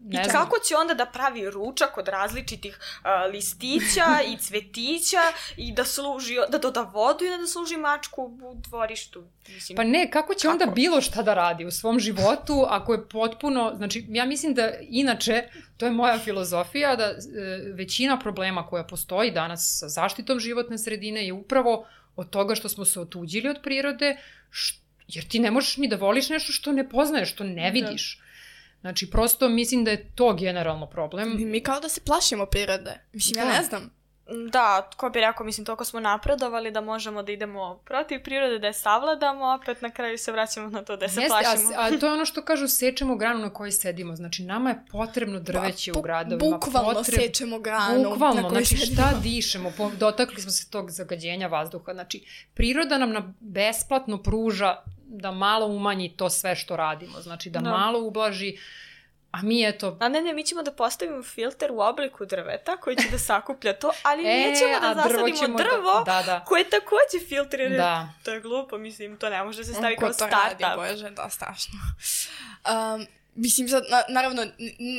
C: Ne
B: I
C: znam.
B: kako će onda da pravi ručak od različitih uh, listića i cvetića i da služi, da doda vodu i da služi mačku u dvorištu? Mislim,
C: pa ne, kako će kako? onda bilo šta da radi u svom životu ako je potpuno, znači ja mislim da inače, to je moja filozofija, da e, većina problema koja postoji danas sa zaštitom životne sredine je upravo od toga što smo se otuđili od prirode, št, jer ti ne možeš ni da voliš nešto što ne poznaješ, što ne vidiš. Da. Znači, prosto mislim da je to generalno problem.
A: Mi, mi kao da se plašimo prirode. Mislim, da. ja ne znam.
B: Da, ko bi rekao, mislim, toliko smo napredovali da možemo da idemo protiv prirode, da je savladamo, opet na kraju se vraćamo na to da se
C: Jeste,
B: plašimo.
C: A, a to je ono što kažu, sečemo granu na kojoj sedimo. Znači, nama je potrebno drveće pa, u gradovima.
A: Bukvalno
C: Potreb...
A: sečemo granu
C: Bukvalno,
A: na kojoj
C: znači,
A: sedimo.
C: šta dišemo? Dotakli smo se tog zagađenja vazduha. Znači, priroda nam na besplatno pruža da malo umanji to sve što radimo. Znači, da, da. malo ublaži. A mi eto...
B: A ne, ne, mi ćemo da postavimo filter u obliku drveta koji će da sakuplja to, ali e, nećemo da zasadimo drvo
C: da, da, da.
B: koje takođe filtrira.
C: Da.
B: To je glupo, mislim, to ne može da se stavi
A: Ko
B: kao startup.
A: Ko to radi, bože, da, strašno. Um, mislim, sad, na, naravno,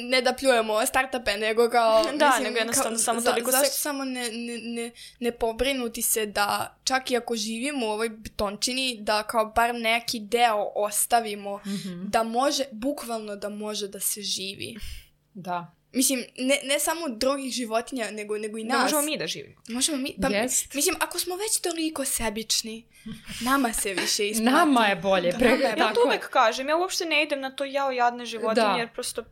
A: ne da pljujemo startupe, nego kao...
B: Da,
A: mislim,
B: nego jednostavno
A: kao,
B: samo toliko
A: za, zašto
B: se...
A: samo ne, ne, ne, ne pobrinuti se da čak i ako živimo u ovoj betončini, da kao bar neki deo ostavimo, mm-hmm. da može, bukvalno da može da se živi.
C: Da.
A: Mislim, ne, ne samo drugih životinja, nego, nego i nas.
B: Da možemo mi da živimo.
A: Možemo mi, pa,
C: yes.
A: mislim, ako smo već toliko sebični, nama se više isplati.
C: Nama je bolje. Pre...
B: Da, ja to uvek kažem, ja uopšte ne idem na to jao jadne životinje, da. jer prosto...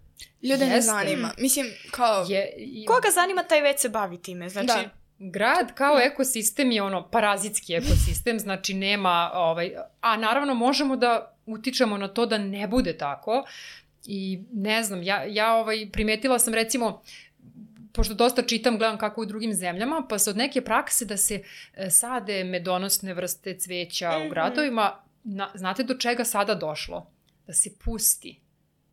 A: Ljude ne zanima. Mislim, kao...
C: Je, je...
B: Koga zanima, taj već se bavi time, znači...
A: Da.
C: Grad kao ekosistem je ono parazitski ekosistem, znači nema, ovaj, a naravno možemo da utičemo na to da ne bude tako i ne znam, ja, ja ovaj, primetila sam recimo pošto dosta čitam, gledam kako u drugim zemljama, pa se od neke prakse da se e, sade medonosne vrste cveća mm-hmm. u gradovima, na, znate do čega sada došlo? Da se pusti,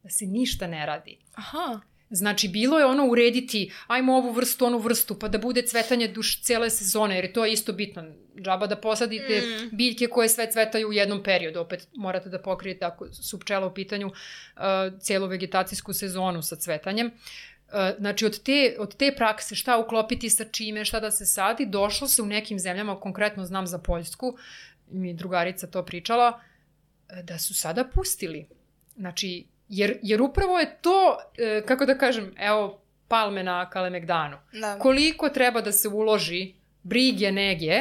C: da se ništa ne radi.
A: Aha.
C: Znači, bilo je ono urediti, ajmo ovu vrstu, onu vrstu, pa da bude cvetanje duš cijele sezone, jer to je isto bitno. Džaba da posadite mm. biljke koje sve cvetaju u jednom periodu. Opet morate da pokrijete, ako su pčela u pitanju, uh, cijelu vegetacijsku sezonu sa cvetanjem. Uh, znači, od te, od te prakse šta uklopiti sa čime, šta da se sadi, došlo se u nekim zemljama, konkretno znam za Poljsku, mi drugarica to pričala, da su sada pustili. Znači, Jer, jer upravo je to, e, kako da kažem, evo, palme na Kalemegdanu. Da. Koliko treba da se uloži brige, nege,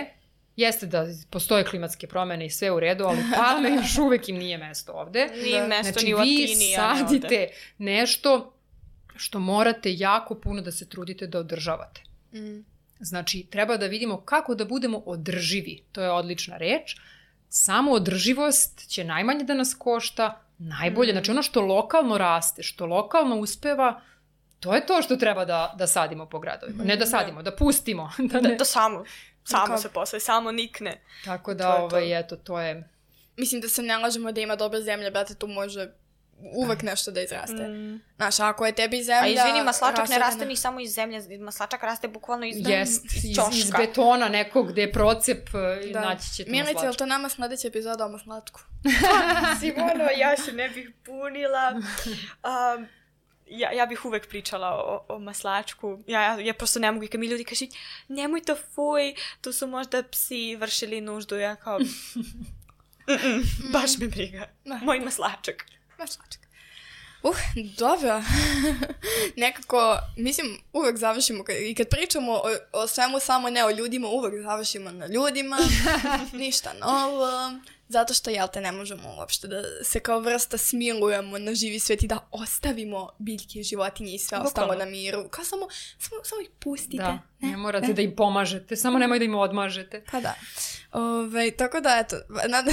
C: jeste da postoje klimatske promene i sve u redu, ali palme još uvek im nije mesto ovde.
B: Nije da. mesto
C: znači,
B: ni u Atini.
C: Znači, vi sadite nešto što morate jako puno da se trudite da održavate. Mm. Znači, treba da vidimo kako da budemo održivi. To je odlična reč. Samo održivost će najmanje da nas košta, najbolje, mm. znači ono što lokalno raste, što lokalno uspeva, to je to što treba da, da sadimo po gradovima. Mm. Ne da sadimo, da, da pustimo.
B: Da, ne. da, da samo, samo Kako? se posle, samo nikne.
C: Tako da, to ovaj, to. eto, to je...
A: Mislim da se ne lažemo da ima dobre zemlje, brate, tu može uvek nešto da izraste. Mm. Znaš, ako je tebi zemlja...
B: A izvini, maslačak ne raste ni samo iz zemlje, maslačak raste bukvalno iz,
C: Jest,
B: iz
C: ćoška. Iz, iz betona nekog gde je procep da. naći ćete
A: Milice,
C: maslačku.
A: je li to nama sledeća epizoda o maslačku?
B: Simono, ja se ne bih punila. Um, ja, ja bih uvek pričala o, o maslačku. Ja, ja, ja prosto ne mogu i kad mi ljudi kažu nemoj to fuj, tu su možda psi vršili nuždu. Ja kao... Mm-mm, baš me briga. Moj maslačak.
A: Maslačak. Uh, dobro. Nekako, mislim, uvek završimo, i kad pričamo o, o svemu, samo ne o ljudima, uvek završimo na ljudima, ništa novo, zato što, jel te, ne možemo uopšte da se kao vrsta smilujemo na živi svet i da ostavimo biljke, životinje i sve ostalo na miru. Kao samo, samo, samo ih pustite.
C: Da,
A: ne,
C: ne morate ne. da im pomažete, samo nemoj da im odmažete.
A: Pa da. Ove, tako da, eto, nad,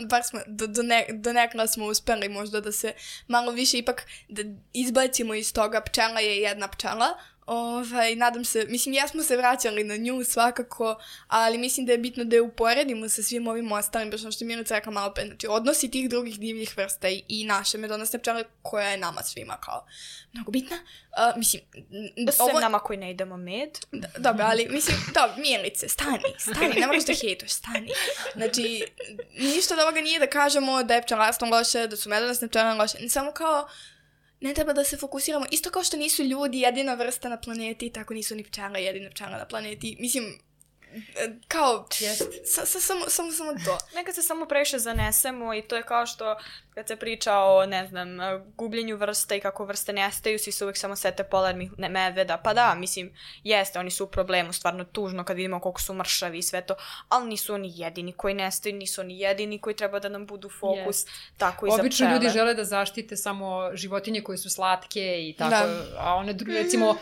A: bar smo, do, do, ne, do nekada smo uspeli možda da se malo više ipak da izbacimo iz toga pčela je jedna pčela. Ovaj, nadam se, mislim, ja smo se vraćali na nju svakako, ali mislim da je bitno da je uporedimo sa svim ovim ostalim, baš ono što je Milica rekla malo pre, znači odnosi tih drugih divljih vrsta i, i naše medonosne pčele koja je nama svima kao mnogo bitna. Uh, mislim,
B: sve ovo... nama koji ne idemo med.
A: Da, dobro, ali mislim, dobro, Milice, stani, stani, ne moraš da hejtuš, stani. Znači, ništa od ovoga nije da kažemo da je pčelarstvo loše, da su medonosne pčele loše, samo kao ne treba da se fokusiramo. Isto kao što nisu ljudi jedina vrsta na planeti, tako nisu ni pčela jedina pčela na planeti. Mislim, kao, sa, sa, samo, samo, samo to.
B: Nekad se samo previše zanesemo i to je kao što kad se priča o, ne znam, gubljenju vrsta i kako vrste nestaju, svi se uvijek samo sete polarnih medveda. Pa da, mislim, jeste, oni su u problemu, stvarno tužno kad vidimo koliko su mršavi i sve to, ali nisu oni jedini koji nestaju, nisu oni jedini koji treba da nam budu fokus, yes. tako i za pčele.
C: Obično ljudi žele da zaštite samo životinje koje su slatke i tako, da. A one druge, recimo,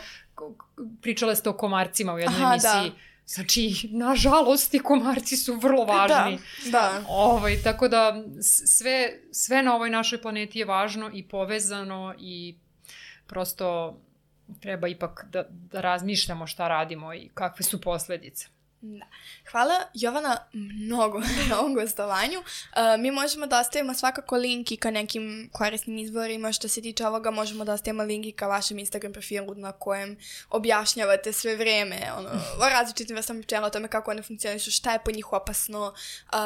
C: pričale ste o komarcima u jednoj
A: Aha,
C: emisiji,
A: da.
C: Znači, nažalost, i komarci su vrlo važni.
A: Da, da.
C: Ovaj, tako da, sve, sve na ovoj našoj planeti je važno i povezano i prosto treba ipak da, da razmišljamo šta radimo i kakve su posledice.
A: Da. Hvala Jovana mnogo na ovom gostovanju. Uh, mi možemo da ostavimo svakako link i ka nekim korisnim izvorima. Što se tiče ovoga, možemo da ostavimo link i ka vašem Instagram profilu na kojem objašnjavate sve vreme ono, o različitim vrstama pčela, o tome kako one funkcionišu, šta je po njih opasno, uh,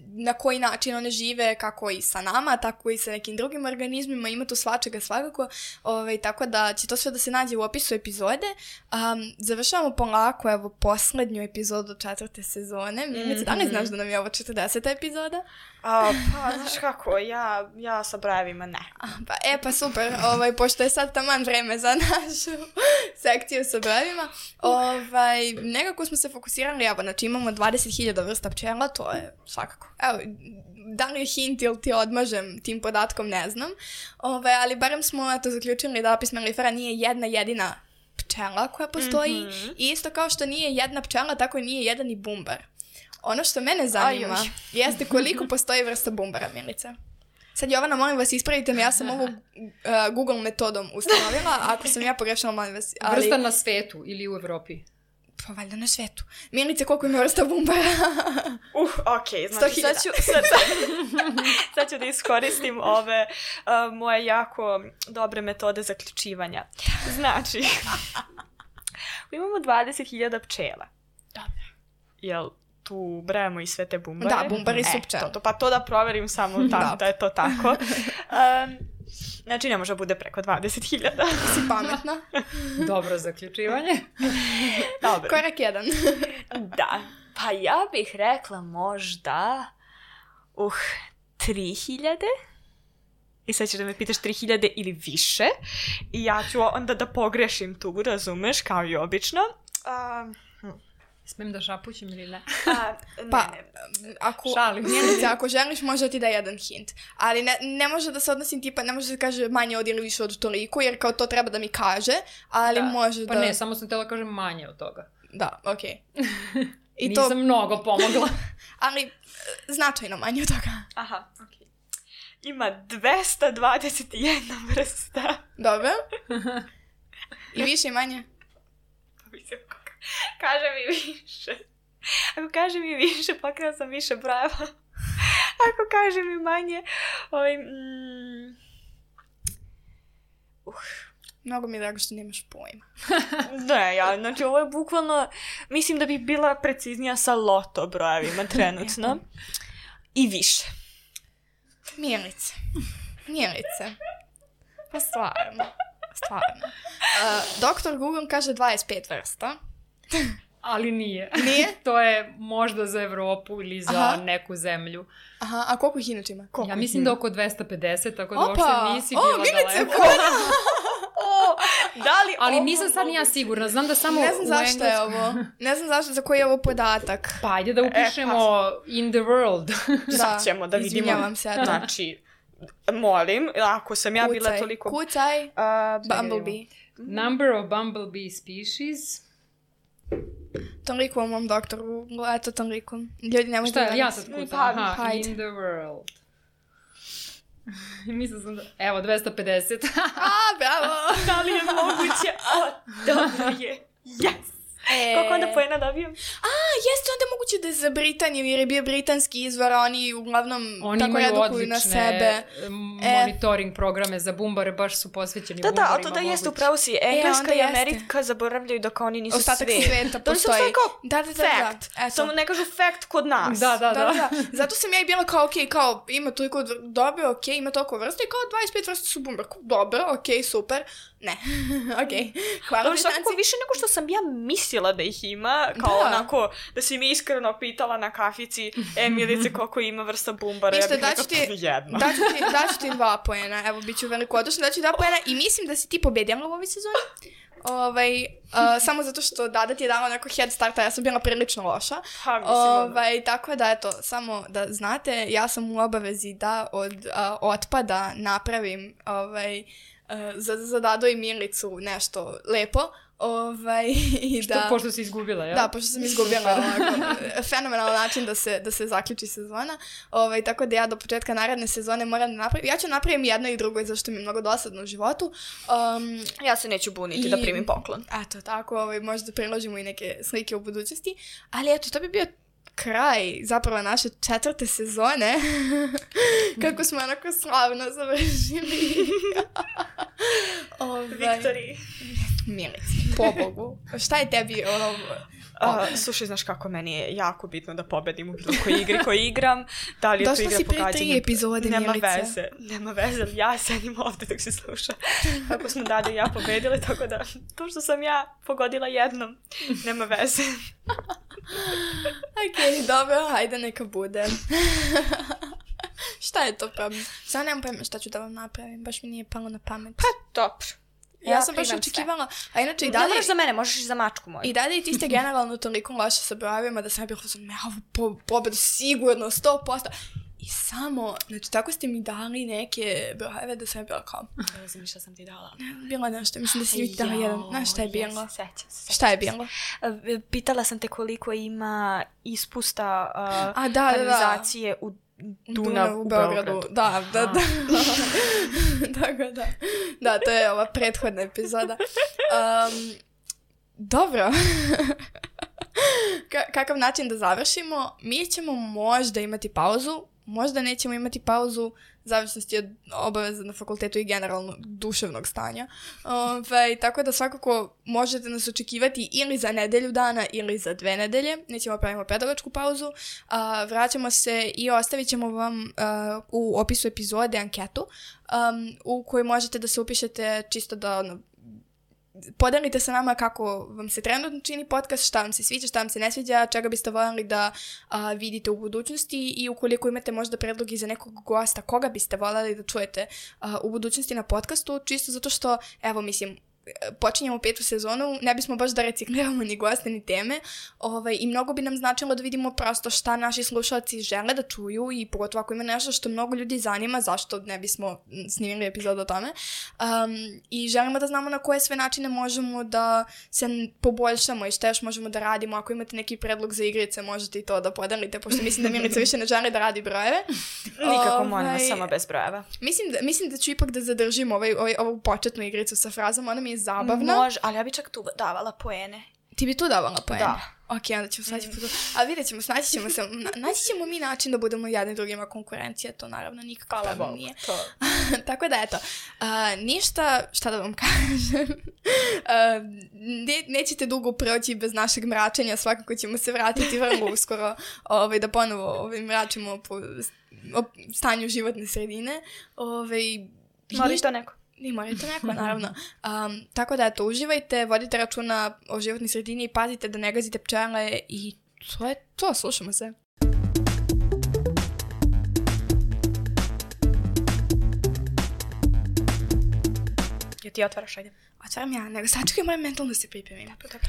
A: na koji način one žive, kako i sa nama, tako i sa nekim drugim organizmima. Ima tu svačega svakako. Ovaj, tako da će to sve da se nađe u opisu epizode. Um, završavamo polako, evo, poslednju epizodu do četvrte sezone. Milice, da li znaš da nam je ovo četrdeseta epizoda?
B: A, pa, znaš kako, ja, ja sa brojevima ne.
A: A, pa, e, pa super, ovaj, pošto je sad taman vreme za našu sekciju sa brojevima, ovaj, nekako smo se fokusirali, evo, znači imamo dvadeset hiljada vrsta pčela, to je svakako. Evo, da li je hint ili ti odmažem tim podatkom, ne znam, ovaj, ali barem smo, eto, zaključili da apis mellifera nije jedna jedina pčela koja postoji, mm-hmm. i isto kao što nije jedna pčela, tako i nije jedan i bumbar. Ono što mene zanima Aj, jeste koliko postoji vrsta bumbara, Milica. Sad, Jovana, molim vas, ispravite me, ja sam ovu uh, Google metodom ustanovila, ako sam ja pogrešila, molim vas. Ali...
C: Vrsta na svetu ili u Evropi?
A: Pa valjda na svetu. Milice, koliko ima vrsta bumbara?
B: Uh, okej, okay, znači sad ću, sad, sad ću da iskoristim ove uh, moje jako dobre metode zaključivanja. Znači, imamo dvadeset hiljada pčela.
A: Dobro.
B: Jel tu brajamo i sve te bumbare?
A: Da, bumbari su pčele.
B: E, to, pa to da proverim samo tako, da je to tako. Um, Znači, ne može bude preko dvadeset hiljada.
A: Si pametna.
C: Dobro zaključivanje.
B: Dobro.
A: Korak jedan.
B: Da. Pa ja bih rekla možda uh, tri hiljade. I sad ćeš da me pitaš tri hiljade ili više. I ja ću onda da pogrešim tu, razumeš, kao i obično. Um,
C: Smijem da šapućem ili ne?
B: A, ne,
A: pa,
B: ne.
A: ako,
C: Šalim.
A: Njenice, ako želiš, može ti da jedan hint. Ali ne, ne može da se odnosi tipa, ne može da se kaže manje od ili više od toliko, jer kao to treba da mi kaže, ali
B: da.
A: može da...
C: Pa ne, samo sam htjela kažem manje od toga.
A: Da, okej. Okay.
C: I Nisam to... mnogo pomogla.
A: Ali značajno manje od toga.
B: Aha, okej. Okay. Ima dvesta dvadeset jedna vrsta.
A: Dobro. I više i manje?
B: Pa mislim kako. Kaže mi više. Ako kaže mi više, pokrila sam više brojeva. Ako kaže mi manje, ovaj... Mm, uh.
A: Mnogo mi je drago što nemaš pojma.
B: Ne, ja, znači ovo je bukvalno, mislim da bi bila preciznija sa loto brojevima trenutno. I više.
A: Milice. Milice. Pa stvarno. Stvarno. Uh, doktor Google kaže dvadeset pet vrsta.
C: Ali nije.
A: Nije?
C: To je možda za Evropu ili za Aha. neku zemlju.
A: Aha, a koliko ih inače ima?
C: Koliko ja mislim da oko dvesta pedeset, tako da uopšte nisi
A: o,
C: bila
A: Milice,
C: daleko.
B: O, da li
C: Ali
B: ovo
C: nisam sad nija sigurna, znam da samo
A: ne znam zašto
C: engleskom...
A: je ovo. Ne znam zašto, za koji je ovo podatak.
C: Pa ajde da upišemo e, pa... in the world.
B: Sad ćemo da vidimo.
A: Izvinjavam se. Da.
B: Znači, molim, ako sam ja
A: kucaj,
B: bila toliko...
A: Kucaj, uh, Bumblebee.
C: Number of bumblebee species...
A: Toliko u mom doktoru, eto toliko. Ljudi ne možda...
C: Šta je, ja sad kucam? Aha,
A: hajde.
C: In the world. Mislim sam da... Evo, dvesta pedeset.
A: A, bravo!
B: Da li je moguće? O, dobro je. Yes! E... Koliko onda pojena dobijem?
A: A, jeste onda moguće da je za Britaniju, jer je bio britanski izvor, oni uglavnom
C: oni
A: tako redukuju na sebe.
C: Monitoring e... programe za bumbare, baš su posvećeni
B: da,
C: bumbarima.
B: Da, da, to da jeste upravo si. Engleska e, i Amerika zaboravljaju da kao oni nisu
A: ostatak
B: svet.
A: sveta postoji.
B: Da, da, da, fact. Da. Samo ne kažu fact kod nas.
C: Da, da, da.
A: da, da. Zato sam ja i bila kao, okej, okay, kao ima toliko dobro, okej, okay, ima toliko vrsta i kao dvadeset pet vrsta su bumbar. Dobro, okej, okay, super. Ne, okej. Okay. Hvala
B: Dobro, svakako više nego što sam ja mislila da ih ima, kao da. Onako, da si mi iskreno pitala na kafici, e, Milice, koliko ima vrsta bumbara,
A: Isto,
B: ja bih
A: daću
B: rekao jedna.
A: Daću ti, daću ti dva poena, evo, bit ću veliko odošla, daću dva poena i mislim da si ti pobedila u ovoj sezoni. Ovaj, uh, samo zato što Dada ti je dala neko head starta, ja sam bila prilično loša.
B: Ha, mislim,
A: ovaj, tako da, eto, samo da znate, ja sam u obavezi da od uh, otpada napravim ovaj, uh, za, za Dado i Milicu nešto lepo. Ovaj, i
C: što,
A: da,
C: pošto si izgubila, ja?
A: Da, pošto sam izgubila ovako, fenomenalan način da se, da se zaključi sezona. Ovaj, tako da ja do početka naredne sezone moram da napravim. Ja ću napravim jedno i drugo, zašto mi je mnogo dosadno u životu. Um,
B: ja se neću buniti i, da primim poklon.
A: Eto, tako, ovaj, možda priložimo i neke slike u budućnosti. Ali eto, to bi bio kraj zapravo naše četvrte sezone. Kako smo onako slavno završili.
B: ovaj, Viktoriji.
A: Milici, pobogu. Šta je tebi ono...
B: Uh, slušaj, znaš kako, meni je jako bitno da pobedim u bilo kojoj igri koju igram. Da li je to igra pogađanja? Došla si pre tri epizode,
A: Milice.
B: Nema veze, nema veze. Ja sedim ovde dok se sluša. Kako smo Dada i ja pobedile, tako da to što sam ja pogodila jednom, nema veze.
A: Okej, okay, dobro, hajde neka bude. Šta je to problem? Samo nemam pojma šta ću da vam napravim, baš mi nije palo na pamet.
B: Pa, dobro.
A: Ja, ja sam baš očekivala, a inače i dalje...
B: Ne moraš za mene, možeš i za mačku moju.
A: I dalje i ti ste generalno toliko loše sa brojevima da sam ja bila sam, ja ovu po, pobedu sigurno, sto posto. I samo, znači tako ste mi dali neke brojeve da sam ja bila kao...
B: Ne znam šta sam ti dala.
A: Bilo nešto, mislim da si mi dala jedan. Znaš šta je bilo?
B: Yes, sećam se.
A: Šta je bilo?
B: Pitala sam te koliko ima ispusta uh,
A: a, da,
B: kanalizacije
A: da, da.
B: u Dunav u Beogradu.
A: Da, da, da. Tako da. Da, to je ova prethodna epizoda. Um, dobro. Ka- kakav način da završimo? Mi ćemo možda imati pauzu, možda nećemo imati pauzu, zavisnosti od obaveza na fakultetu i generalno duševnog stanja. Ove, tako da svakako možete nas očekivati ili za nedelju dana ili za dve nedelje. Nećemo pravimo pedagošku pauzu. A, vraćamo se i ostavit ćemo vam a, u opisu epizode anketu um, u kojoj možete da se upišete čisto da ono, podelite sa nama kako vam se trenutno čini podcast, šta vam se sviđa, šta vam se ne sviđa, čega biste voljeli da a, vidite u budućnosti i ukoliko imate možda predlogi za nekog gosta, koga biste voljeli da čujete a, u budućnosti na podcastu, čisto zato što, evo mislim, počinjemo petu sezonu, ne bismo baš da recikliramo ni goste ni teme ovaj, i mnogo bi nam značilo da vidimo prosto šta naši slušalci žele da čuju i pogotovo ako ima nešto što mnogo ljudi zanima, zašto ne bismo snimili epizodu o tome. Um, I želimo da znamo na koje sve načine možemo da se poboljšamo i šta još možemo da radimo. Ako imate neki predlog za igrice, možete i to da podelite, pošto mislim da Milica više ne želi da radi brojeve.
B: Nikako
A: ovaj,
B: molimo, samo bez brojeva.
A: Mislim da, mislim da ću ipak da zadržim ovaj, ovaj, ovu početnu igricu sa frazom, ona mi je zabavna.
B: Može, ali ja bi čak tu davala poene.
A: Ti bi tu davala poene?
B: Da.
A: Ok, onda ćemo sledeći put. Ali vidjet ćemo, snaći ćemo se, na, naći ćemo mi način da budemo jedni drugima konkurencija, to naravno nikako problem nije. Tako da eto, uh, ništa, šta da vam kažem, uh, ne, nećete dugo proći bez našeg mračenja, svakako ćemo se vratiti vrlo uskoro ovaj, da ponovo ovaj, mračimo po o stanju životne sredine. Ovaj,
B: Moli to neko.
A: I morate neko, naravno. Um, tako da, eto, uživajte, vodite računa o životnoj sredini i pazite da ne gazite pčele i to je to, slušamo se.
B: Ja ti otvaraš, ajde.
A: Otvaram ja, nego sačekaj moje mentalno se pripremim.
B: Dobro, dobro.